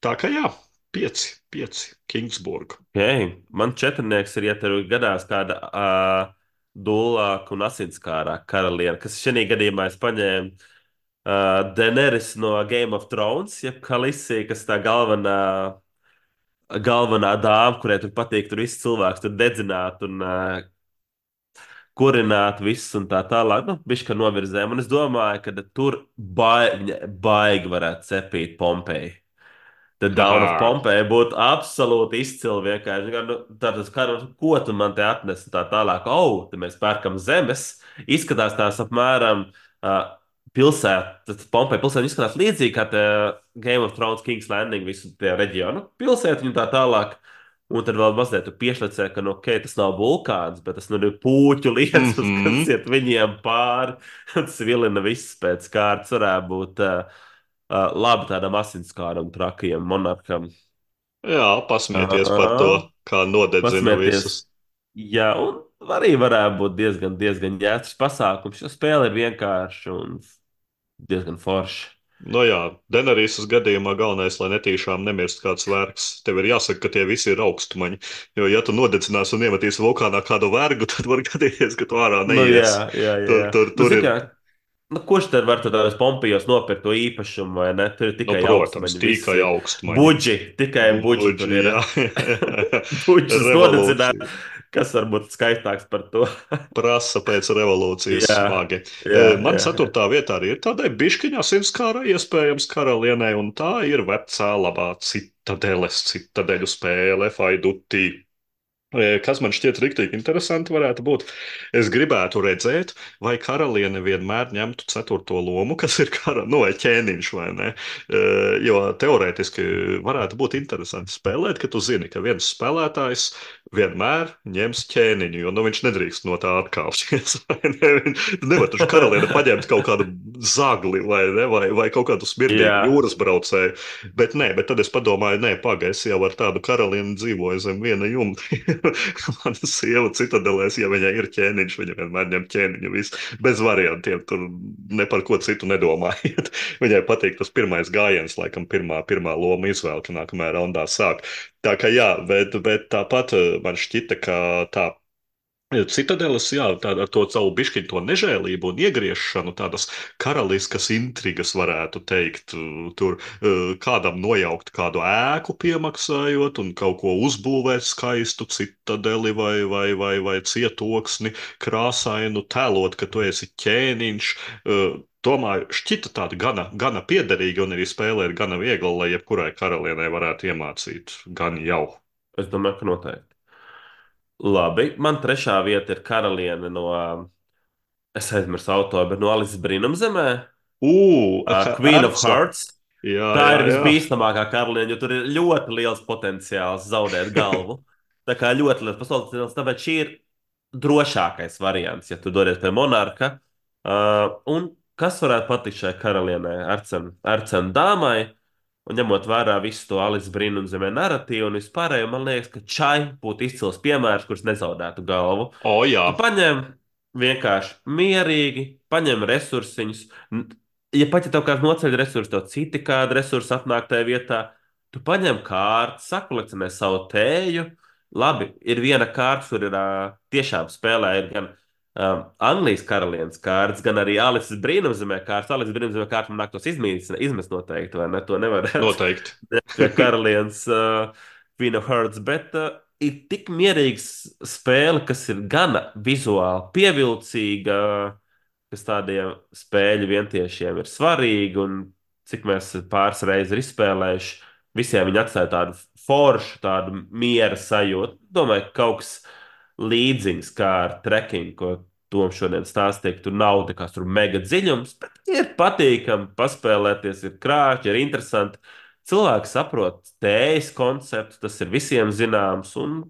Tā kā jā, 5 Kingsburg. Okay. Man četrnieks ir, ja tev gadās kāda dūlāka un asinskārāka karaliene, kas šajā gadījumā es paņēmu Daenerys no Game of Thrones, jeb Khaleesi, kas tā galvenā dāma, kurai tur patīk tur viss cilvēks, tur dedzināt un kurināt visus un tā tālāk. Nu, bišķi novirzēm. Un es domāju, ka tur viņa baigi varētu cepīt Pompeju. The Down of Haha. Pompeii būtu absolūti izcili vienkārši. Nu, tātad, ko tu man te atnesi tā tālāk? Te mēs pērkam zemes. Izskatās tās apmēram pilsēta. Tad Pompeja pilsēta izskatās līdzīgi kā te Game of Thrones, King's Landing, visu tie reģionu. Pilsēta un tā tālāk. Un tad vēl mazliet piešķirts, ka, nu, ok, tas nav vulkāns, bet tas nu, ir puķu lietus, kas Mhm. iet viņiem pāri. Tas vilina viss pēc kārtas. Varētu būt labi tādam asinskāram, trakajam monarham. Jā, pasmieties par to, Uh, kā nodedzina Pasmieties. visus. Jā, un arī varētu būt diezgan jēdzīgs pasākums. Jo spēle ir vienkārša. Un... diezgan forši. Nu jā, Denerīsas gadījumā galvenais, lai netīšām nemirst kāds vergs. Tev ir jāsaka, ka tie visi ir augstumaņi. Jo, ja tu nodedzinās un iemetīsi vulkānā kādu vergu, tad var gadīties, ka tu ārā Nu, jā, neies. jā, Tur, jā. tur, Nu, tur zini, ir, kā, nu, kurš tad var tādos pompijos nopirkt to īpašumu, vai ne? Tur ir nu, tikai protams, augstmaņi, tikai visi augstumaņi. buģi, tikai buģi tur Buģi, ir. jā, Buģis revolūcija. nodedzināt, kas var būt skaistāks par to? Prasa pēc revolūcijas Jā, smagi. jā, Man jā, jā. ceturtā vietā arī ir tādai bišķiņā simtskāra iespējams karalienei, un tā ir vecā labā citadeļu spēle, Faidutī. Kas man šķiet rīktīgi interesanti varētu būt, es gribētu redzēt, vai karaliene vienmēr ņemtu ceturto lomu, kas ir nu, vai ķēniņš, vai ne? Jo teorētiski varētu būt interesanti spēlēt, ka tu zini, ka viens spēlētājs vienmēr ņems ķēniņu, jo nu, viņš nedrīkst no tā atkāpties. Tu nevari taču karaliene paņemt kaut kādu zagli vai kaut kādu Jā, smirdīgu jūras braucēju. Bet nē, bet tad es padomāju, nē, pagaidi, es jau ar tādu karalieni dzīvoju zem viena jumta. Mana sieva citadelēs, ja viņai ir ķēniņš, viņa vienmēr ņem ķēniņu, visu, bez variantiem. Tur ne par ko citu nedomājiet. Viņai patīk tas pirmais gājiens, laikam, pirmā loma izvēle, ka nākamajā raundā sāk. Tā kā jā, bet tāpat man šķita, ka tā. Citadeles, jā, tā, ar to savu bišķiņu, to nežēlību un iegriešanu, tādas karaliskas intrigas, varētu teikt. Tur kādam nojaukt kādu ēku, piemaksājot, un kaut ko uzbūvēt skaistu citadeli vai cietoksni, krāsainu, tēlot, ka tu esi ķēniņš. Domāju, šķita tāda gana piederīga, un arī spēlē ir gana viegla, lai jebkurai karalienei varētu iemācīt gan jau. es domāju, ka noteikti. Labi, man trešā vieta ir karaliene no, es aizmirsu autoru, bet no Alises Brīnumzemē, Queen of Erca. Hearts. Jā, Tā jā, ir jā. visbīstamākā karaliene, jo tur ir ļoti liels potenciāls zaudēt galvu. Tā kā ļoti liels potenciāls, tāpēc šī ir drošākais variants, ja tu dodies pie monarka. Un kas varētu patikt šai karalienei, Arcena dāmai, un ņemot vērā visu to Alice Brīnumzemē narratīvu un vispārējo, man liekas, ka Čai būtu izcils piemērs, kurš nezaudētu galvu. O, jā, Tu paņem vienkārši mierīgi, paņem resursiņus. Ja pat ja tev kāds noceļ resursus, tev citi kādi resursi atnāk tajā vietā, tu paņem kārtu, sakolekcionē savu tēju. Labi, ir viena kārta, kur ir tiešām spēlē ir gan Anglijas karalienes kārtas, gan arī Alises Brīnumzemē kārtas. Alises Brīnumzemē kārtas man nāktos izmest noteikti, vai ne? To nevarētu noteikti. pie karalienes Queen of Hearts, bet ir tik mierīgs spēle, kas ir gana vizuāli pievilcīga, kas tādiem spēļu vientiešiem ir svarīga, un cik mēs pāris reizes ir izspēlējuši, visiem viņi atstāja tādu foršu, tādu miera sajūtu. Domāju, ka kaut kas līdzīgs kā ar trekkingu, ko Toms šodien stāstīja, ka tur nav nekas tur mega dziļums, bet ir patīkami paspēlēties, ir krāšņi, ir interesanti. Cilvēki saprot tējas konceptu, tas ir visiem zināms, un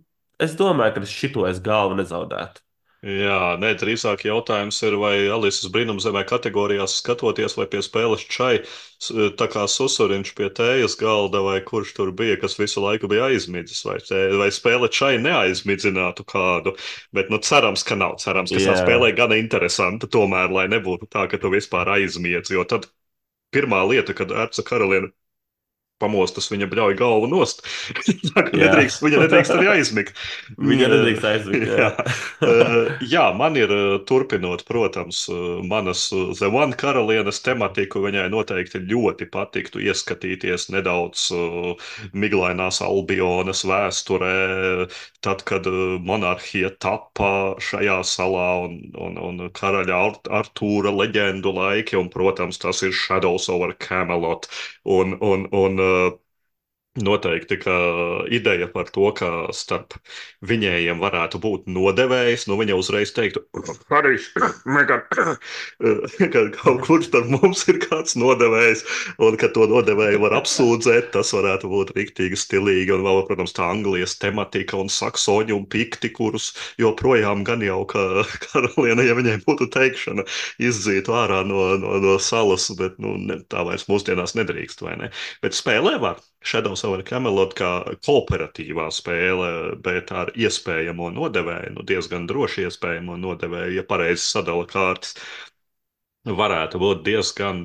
es domāju, ka šito es galvu nezaudētu. Jā, nē, drīzāk jautājums ir, vai Alises brīnumzemē kategorijās skatoties, vai pie spēles čai, tā kā susuriņš pie tējas galda, vai kurš tur bija, kas visu laiku bija aizmidzis, vai spēle čai neaizmidzinātu kādu. Bet, nu, cerams, ka nav. Cerams, ka tā Jā, spēlē gana interesanta, tomēr, lai nebūtu tā, ka tu vispār aizmiedz. Jo tad pirmā lieta, kad Erca karaliene pamostas, viņa bļauj galvu nost. Tā kā jā. viņa nedrīkst arī aizmigt. Viņa nedrīkst aizvigt. Jā, Jā. Jā, man ir turpinot, protams, manas The One karalienes tematiku. Viņai noteikti ļoti patiktu ieskatīties nedaudz miglainās Albionas vēsturē, tad, kad monarhija tappa šajā salā un karaļa Artūra leģendu laiki, un, protams, tas ir Shadows over Camelot. Un noteikti, ka ideja par to, ka starp viņiem varētu būt nodevējs, nu viņa uzreiz teiktu, Harijs, Megan, ka kaut kur starp mums ir kāds nodevējs, un ka to nodevēju var apsūdzēt, tas varētu būt riktīgi stilīgi, un vēl, protams, tā Anglijas tematika un saksoņi un pikti, kurus joprojām gan jau, ka karaliene, ja viņai būtu teikšana, izdzītu ārā no salas, bet, nu, tā vairs mūsdienās nedrīkst, vai ne? Bet spēlē var. Shadows over Camelot kā kooperatīvā spēle, bet ar iespējamo nodevēju, nu diezgan droši iespējamo nodevēju, ja pareizi sadala kārtas. Varētu būt diezgan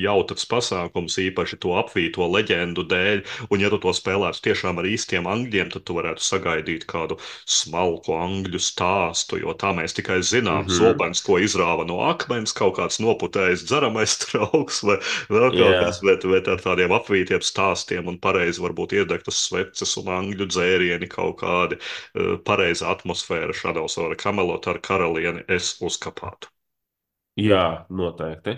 jautrs pasākums, īpaši to apvīto leģendu dēļ. Un, ja tu to spēlētu tiešām ar īstiem angļiem, tad tu varētu sagaidīt kādu smalku angļu stāstu, jo tā mēs tikai zinām. Mhm. Zobens, ko izrāva no akmens, kaut kāds noputējis dzeramais trauks vai vēl kaut kas, Jā, bet ar tādiem apvītiem stāstiem un pareizi varbūt iedegtas sveces un angļu dzērieni kaut kādi, pareiza atmosfēra Shadows of the Camelot ar karalieni es uzkapātu. jā, noteikti.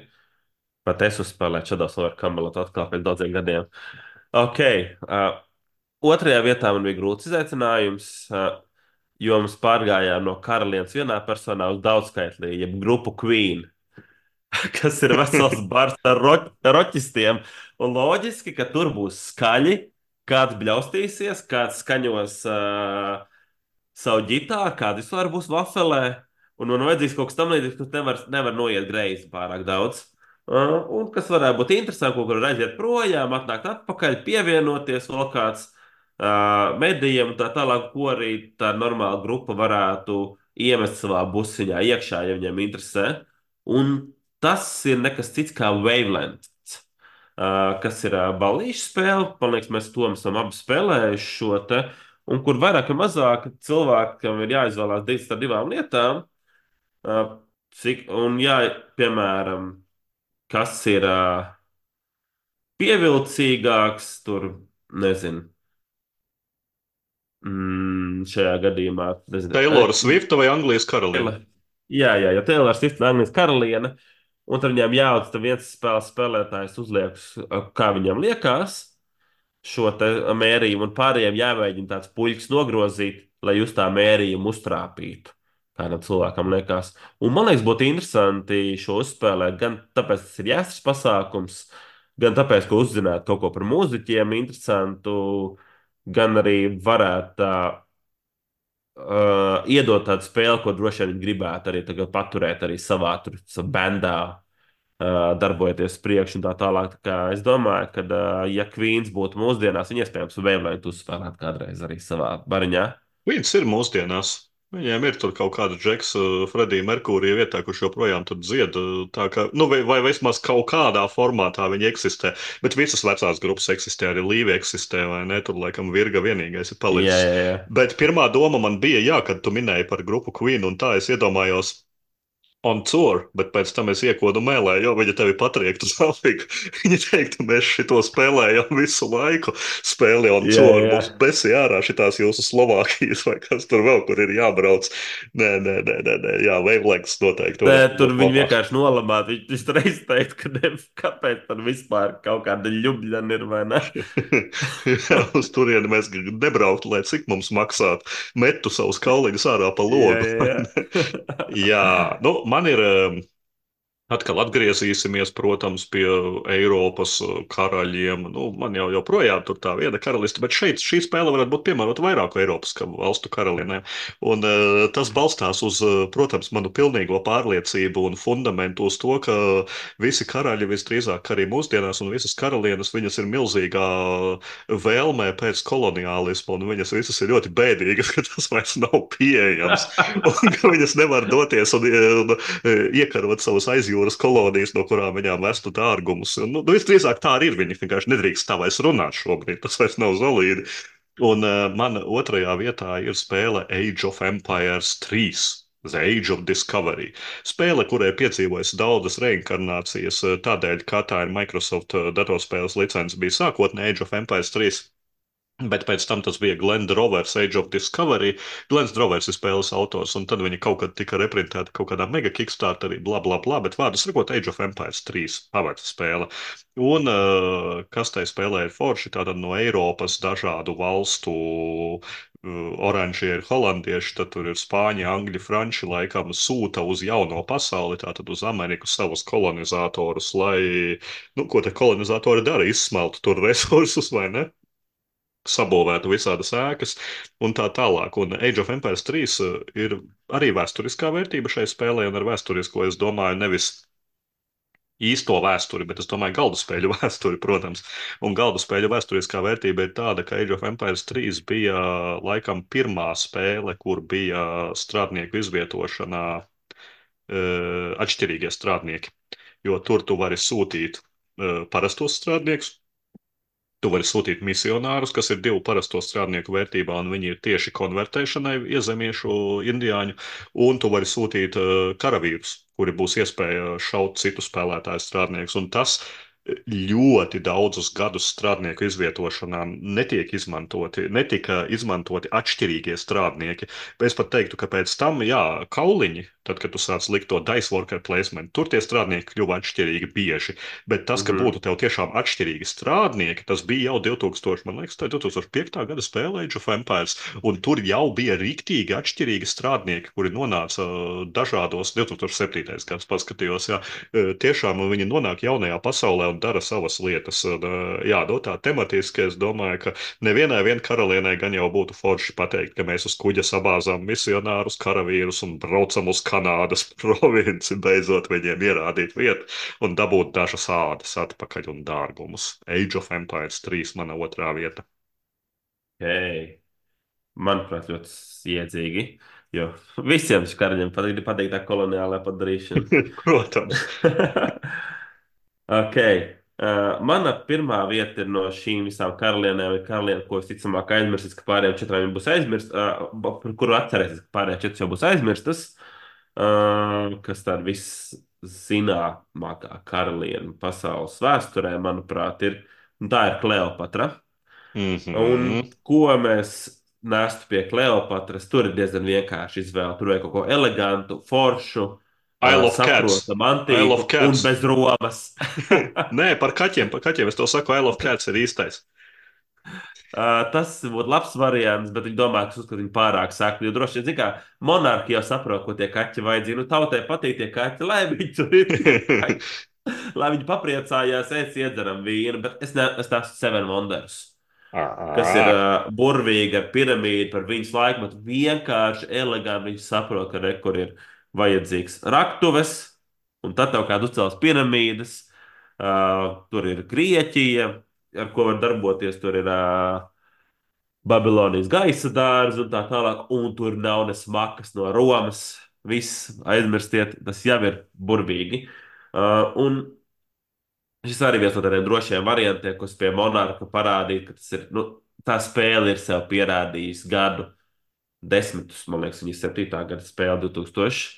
Pat es uzspēlēju Shadows of Camelot atkal pēc daudziem gadiem. Ok. Otrajā vietā man bija grūts izaicinājums, jo mēs pārgājām no karalienes vienā personā uz daudzskaitlī, jeb grupu Queen, kas ir vesels bars ar roķistiem. Un loģiski, ka tur būs skaļi, kāds bļaustīsies, kāds skaņos savu ģitāru, kāda vispār būs vafelē. Un man vajadzīgs kaut kas tamlīdzīgs, kas nevar noiet greizi pārāk daudz. Un kas varētu būt interesanti, ko var aiziet projām, atnākt atpakaļ, pievienoties vēl kāds medijiem un tā tālāk, ko arī tā normāla grupa varētu iemest savā busiņā iekšā, ja viņiem interesē. Un tas ir nekas cits kā Wavelength, kas ir ballīšu spēle. Man liekas, mēs to esam abi spēlējuši šo te, un kur vairāk vai mazāk cilvēkam ir jāizvēlās starp divām lietām. Un jā, piemēram, kas ir pievilcīgāks, tur nezinu. Šajā gadījumā, nezinu, Taylora Svifta vai Anglijas karaliene? ja Taylor Swift ir Anglijas karaliene, un tad viņam jāatdod, tad viens spēles spēlētājs uzliek, kā viņam liekas, šo te mērījumu, un pārējiem jāmēģina tāds puļks nogrozīt, lai jūs tā mērījumu uztrāpītu. Kādam cilvēkam liekas. Un man liekas, būtu interesanti šo uzspēlēt, gan tāpēc, ka tas ir jāsas pasākums, gan tāpēc, ka uzzinātu kaut ko par mūziķiem interesantu, gan arī varētu iedot tādu spēli, ko droši vien viņi gribētu arī tagad paturēt arī savā bandā, darbojoties priekš un tā tālāk. Tā kā es domāju, ka, ja Queens būtu mūsdienās, viņi iespējams vēlētu uzspēlēt kādreiz arī savā bariņā. Viņas ir mūsdienās. Viņiem ir tur kaut kāda Džeksa, Fredija Merkūrija vietā, kurš joprojām tur dzied. Tā kā, nu, vai vismaz kaut kādā formātā viņi eksistē. Bet visas vecās grupas eksistē, arī Līva eksistē, vai ne? Tur laikam Virga vienīgais ir Jā, palicis. jā, jā. Bet pirmā doma man bija, jā, kad tu minēji par grupu Queen, un tā es iedomājos, on tour, bet pēc tam es iekodu mēlē, jo viņa tevi patriektu uz Afriku. Viņa teiktu, mēs šito spēlējam visu laiku. Spēli on Jā, tour, jā. mums besi ārā šitās jūsu Slovākijas vai kas tur vēl, kur ir jābrauc. Nē, jā, Wavelengths noteikti varētu Tur būt viņi labāk. vienkārši nolamātu. Viņš tur izteica, ka kāpēc tur vispār kaut kāda ļubļana ir vai ne? Jā, uz turieni mēs nebrauktu, lai cik mums maksātu. Metu savus kauliņus ārā pa Jā, logu. jā, Jā, jā. nu, man ir. Atkal atgriezīsimies, protams, pie Eiropas karaļiem. Nu, man jau joprojām tur tā viena karaliste, bet šeit šī spēle varētu būt piemērota vairāku Eiropas valstu karalienēm. Un tas balstās uz, protams, manu pilnīgo pārliecību un fundamentu uz to, ka visi karaļi visdrīzāk arī mūsdienās un visas karalienes, viņas ir milzīgā vēlmē pēc koloniālisma, un viņas visas ir ļoti bēdīgas, ka tas vairs nav pieejams, un ka viņas nevar doties un iekarot savus aizjūras kolonijas, no kurām viņām vestu dārgumus. Nu, visdrīzāk tā arī ir. Viņi vienkārši nedrīkst tā vairs runāt šobrīd. Tas vairs nav zolīdi. Un mana otrajā vietā ir spēle Age of Empires 3. The Age of Discovery. Spēle, kurai piedzīvojas daudzas reinkarnācijas, tādēļ, ka tā ir Microsoft datorspēles licence, bija sākotnēji Age of Empires 3. Bet pēc tam tas bija Glenn Drovers, Age of Discovery. Glens Drovers ir spēles autors, un tad viņi kaut kad tika reprintēti kaut kādā mega kickstarterī, bla, bla, bla. Bet vārdu sakot, Age of Empires 3 pavērta spēle. Un kas tai spēlē ir forši, tātad no Eiropas dažādu valstu. Oranžie ir holandieši, tad tur ir spāņi, angļi, franči, laikam sūta uz jauno pasauli, tātad uz Ameriku savus kolonizatorus, lai, nu, ko te kolonizatori dara, izsmeltu tur resursus, vai ne? Sabūvētu visādas ēkas un tā tālāk. Un Age of Empires 3 ir arī vēsturiskā vērtība šai spēlē, un ar vēsturisko es domāju nevis īsto vēsturi, bet es domāju galdu spēļu vēsturi, protams. Un galdu spēļu vēsturiskā vērtība ir tāda, ka Age of Empires 3 bija laikam pirmā spēle, kur bija strādnieku izvietošanā atšķirīgie strādnieki. jo tur tu vari sūtīt parastos strādniekus. Tu vari sūtīt misionārus, kas ir divu parasto strādnieku vērtībā, un viņi ir tieši konvertēšanai iezemiešu, indiāņu, un tu vari sūtīt karavīrus, kuri būs iespēja šaut citu spēlētāju strādniekus. Un tas ļoti daudzus gadus strādnieku izvietošanām netika izmantoti atšķirīgie strādnieki. Es pat teiktu, ka pēc tam, jā, kauliņi, tad, kad tu sāc likt to dice worker placement, tur tie strādnieki kļuva atšķirīgi bieži. Bet tas, ka Mhm. būtu tev tiešām atšķirīgi strādnieki, tas bija jau 2000, man liekas, tā ir 2005. Gada spēle Age of Empires, un tur jau bija riktīgi atšķirīgi strādnieki, kuri nonāca dažādos, 2007. gads paskatījos, jā, tiešām viņi nonāk jaunajā pasaulē un dara savas lietas. Un, jā, no tā tematiski es domāju, ka nevienai vien karalienei gan jau būtu forši pateikt, ka mēs uz kuģa sabāzām misionārus, karavīrus un braucam uz Kanādas provinci, beidzot viņiem ierādīt vietu un dabūt dažas ādas atpakaļ un dārgumus. Age of Empires 3 mana otrā vieta. Hei, manuprāt, ļoti iedzīgi. Jo visiem šiem karaļiem patīk tā koloniālā padarīšana. Protams. Ok. Mana pirmā vieta ir no šīm visām karalienēm, ir karaliene, ko es ticamāk aizmirsīšu, ka pārējām četrām jau būs aizmirstas, par kuru atcerēsies, ka pārējām četras jau būs aizmirstas. Kas tāda viszināmākā karaliene pasaules vēsturē, manuprāt, ir. Un tā ir Kleopatra. Un Mhm. ko mēs nestu pie Kleopatras, tur ir diezgan vienkārši izvēle. Tur vajag kaut ko elegantu, foršu, Isle of Cats. saprotamu, Isle antīku of un Cats. bez romas. Nē, par kaķiem es to saku, Isle of Cats ir īstais. Tas būtu labs variants, bet viņi domā, ka uzskata viņu pārāk saktu. Jo droši vien, zin kā, monarhi jau saprot, ko tie kaķi vajadzīgi. Nu, tautai patīk tie kaķi, lai viņi tur ir tie kaķi. Lai viņi papriecājās, iedzeram vīnu, bet es neesmu Seven Wonders, kas ir Ā. burvīga ar piramīdu par viņas laikmetu. Vienkārši eleganti viņi saprot, ka rekur ir vajadzīgs raktuves, un tad tev kādu uzcels piramīdas. Tur ir Grieķija, ar ko var darboties. Tur ir Babilonijas gaisa dārza un tā tālāk, un tur nav ne smakas no Romas. Viss aizmirstiet, tas jau ir burvīgi. Un šis arī viens no tādiem drošiem variantiem, kas pie monarha parādīja, ka tas ir, nu, tā spēle ir sev pierādījusi gadu desmitus. Man liekas, viņa ir 7. gada spēle 2000.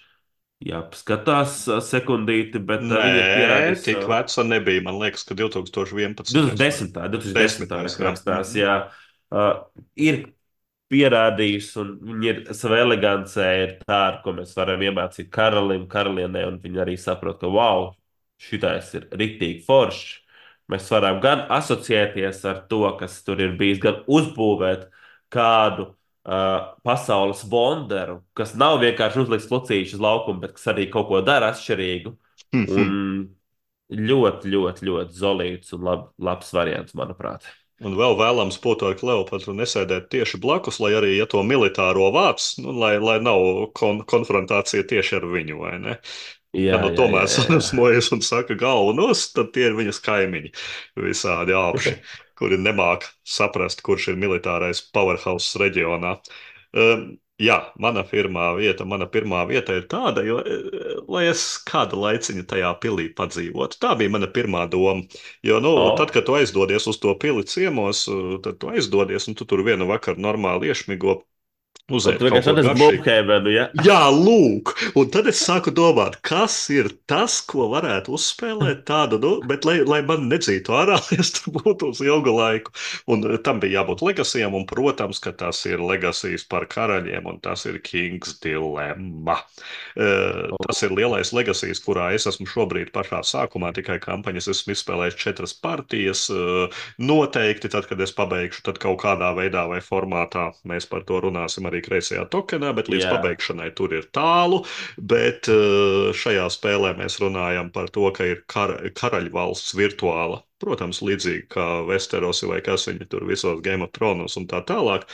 Jā, paskatās sekundīti, bet viņa ir Nē, pierādījusi tik sev. veca nebija. Man liekas, ka 2011. vai 2010. 2010. 10. Jā. rakstās, Mhm. jā. Ir pierādījusi, un viņa ir savā elegancē, ir tā, ar ko mēs varam iemācīt karalim, karalienei, un viņi arī saprot, ka wow, šitais ir riktīgi foršs. Mēs varam gan asociēties ar to, kas tur ir bijis, gan uzbūvēt kādu pasaules bonderu, kas nav vienkārši uzliks lucīšu uz laukumu, bet kas arī kaut ko dara atšķirīgu. Un ļoti, ļoti, ļoti zolīts un labs variants, manuprāt. Un vēl vēlams būtu ar Kleopatru nesēdēt tieši blakus, lai arī, ja to militāro vāc, nu, lai nav konfrontācija tieši ar viņu, vai ne? Ja Jā, nu jā, jā, tomēr jā, jā. sadusmojas un saka galvu nost, tad tie ir viņas kaimiņi, visādi apši, kuri nemāk saprast, kurš ir militārais powerhouse reģionā. Jā, mana pirmā vieta ir tāda, jo, lai es kādu laiciņu tajā pilī padzīvotu. Tā bija mana pirmā doma. Jo, nu, tad, O, kad tu aizdodies uz to pili ciemos, tad tu aizdodies un tu tur vienu vakaru normāli iešmigo, un uzēd tu kaut vienkārši ko atrasti garšīgu. Blūmhēvenu, ja? Jā, lūk, un tad es sāku domāt, kas ir tas, ko varētu uzspēlēt tādu, nu, bet lai man nedzītu ārā, es tur būtu uz ilgu laiku. Un tam bija jābūt legasijam, un, protams, ka tas ir legasijas par karaļiem, un tas ir King's Dilemma. Tas ir lielais legasijas, kurā es esmu šobrīd pašā sākumā, tikai kampaņas esmu izspēlējis 4 partijas. Noteikti, tad, kad es pabeigšu, tad kaut kādā veidā vai formātā mēs par to runāsim arī kreisajā tokenā, bet līdz Jā. pabeigšanai tur ir tālu. Bet šajā spēlē mēs runājam par to, ka ir karaļvalsts virtuāla. Protams, līdzīgi kā Westerosi vai kas viņi tur visos Game of Thrones un tā tālāk,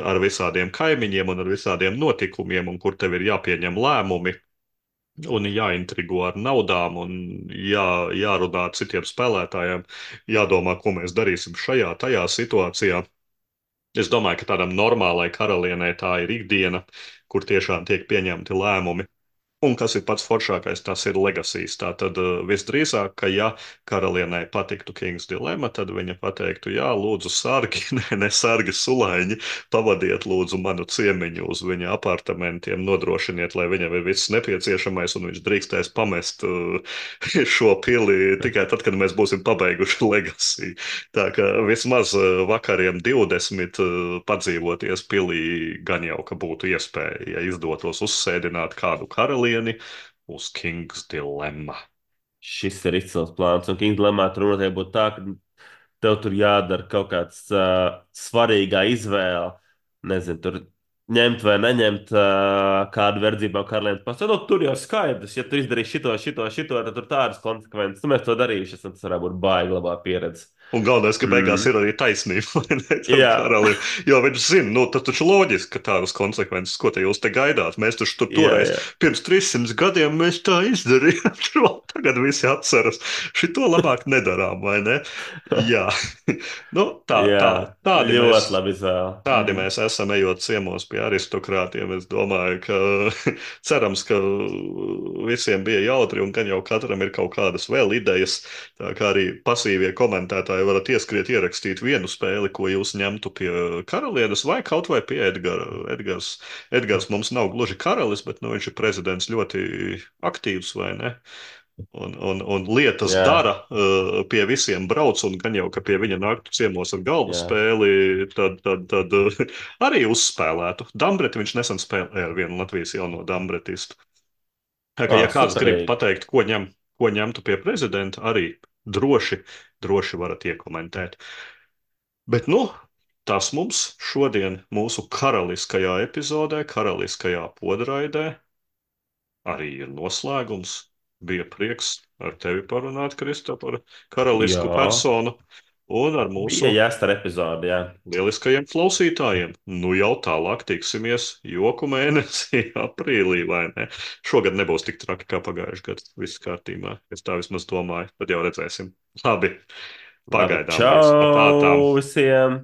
ar visādiem kaimiņiem un ar visādiem notikumiem, un kur tev ir jāpieņem lēmumi. Un jāintrigo ar naudām, un jārunā ar citiem spēlētājiem, jādomā, ko mēs darīsim šajā, tajā situācijā. Es domāju, ka tādam normālai karalienei tā ir ikdiena, kur tiešām tiek pieņemti lēmumi. Un kas ir pats foršākais, tas ir legasīs. Tātad visdrīzāk, ka ja karalienei patiktu Kings Dilemma, tad viņa pateiktu, jā, lūdzu, sargi, ne sargi sulaiņi, pavadiet lūdzu manu ciemiņu uz viņa apartamentiem, nodrošiniet, lai viņam ir viss nepieciešamais, un viņš drīkstēs pamest šo pili tikai tad, kad mēs būsim pabeiguši legasī. Tā kā vismaz vakariem 20 padzīvoties pilī gan jau, ka būtu iespēja, ja izdotos uzsēdināt kādu karalieni uz King's Dilemma. Šis ir izcils plāns, un Kings Lemā tur noteikti būtu tā, ka tev tur jādara kaut kāds svarīgā izvēle. Nezinu, tur ņemt vai neņemt kādu verdzībā karalieni. Pasaka, nu, tur jau skaidrs, ja tu izdarīsi šito, tad tur tādas konsekvences. Nu, mēs to darījuši, tas varētu būt baigi labā pieredze. Un galvenais, ka beigās Mm. ir arī taisnība, vai ne, tam Jā, karalim. Jo viņš zina, nu, tas taču loģiski, ka tādas konsekvences, ko te jūs te gaidāt. Mēs taču tur jā, toreiz, jā. pirms 300 gadiem, mēs tā izdarījām. Tagad visi atceras. Šito labāk nedarām, vai ne? Jā, nu, Jā, tādi mēs. ļoti labi izvēle. Tādi Mm. mēs esam, ejot ciemos pie aristokrātiem. Es domāju, ka cerams, ka visiem bija jautri un gan jau katram ir kaut kādas vēl idejas. Tā kā arī pasīvie komentētāji varat ieskriet, ierakstīt vienu spēli, ko jūs ņemtu pie karalienes vai kaut vai pie Edgara. Edgars mums nav gluži karalis, bet nu, viņš ir prezidents ļoti aktīvs, vai ne? Un lietas Jā, dara, pie visiem brauc, un gan jau, ka pie viņa nāktu ciemos ar galvu jā. spēli, tad arī uzspēlētu. Dambreti viņš nesen spēlēja ar vienu Latvijas jauno dambretistu. Tā kā, ja kāds grib Superīgi. pateikt, ko ņemtu pie prezidenta, arī droši varat iekomentēt. Bet, nu, tas mums šodien mūsu karaliskajā epizodē, karaliskajā podraidē arī ir noslēgums. Bija prieks ar tevi parunāt, Kristof, par karalisku Jā, personu un ar bija mūsu jāstar epizode, jā. lieliskajiem klausītājiem. Nu jau tālāk tiksimies joku mēnesī, aprīlī, vai ne? Šogad nebūs tik traki kā pagājušajā gadā. Viss kārtībā. Es tā vismaz domāju. Tad jau redzēsim. Labi, Labi, pagaidām viss. Tā tām. čau visiem!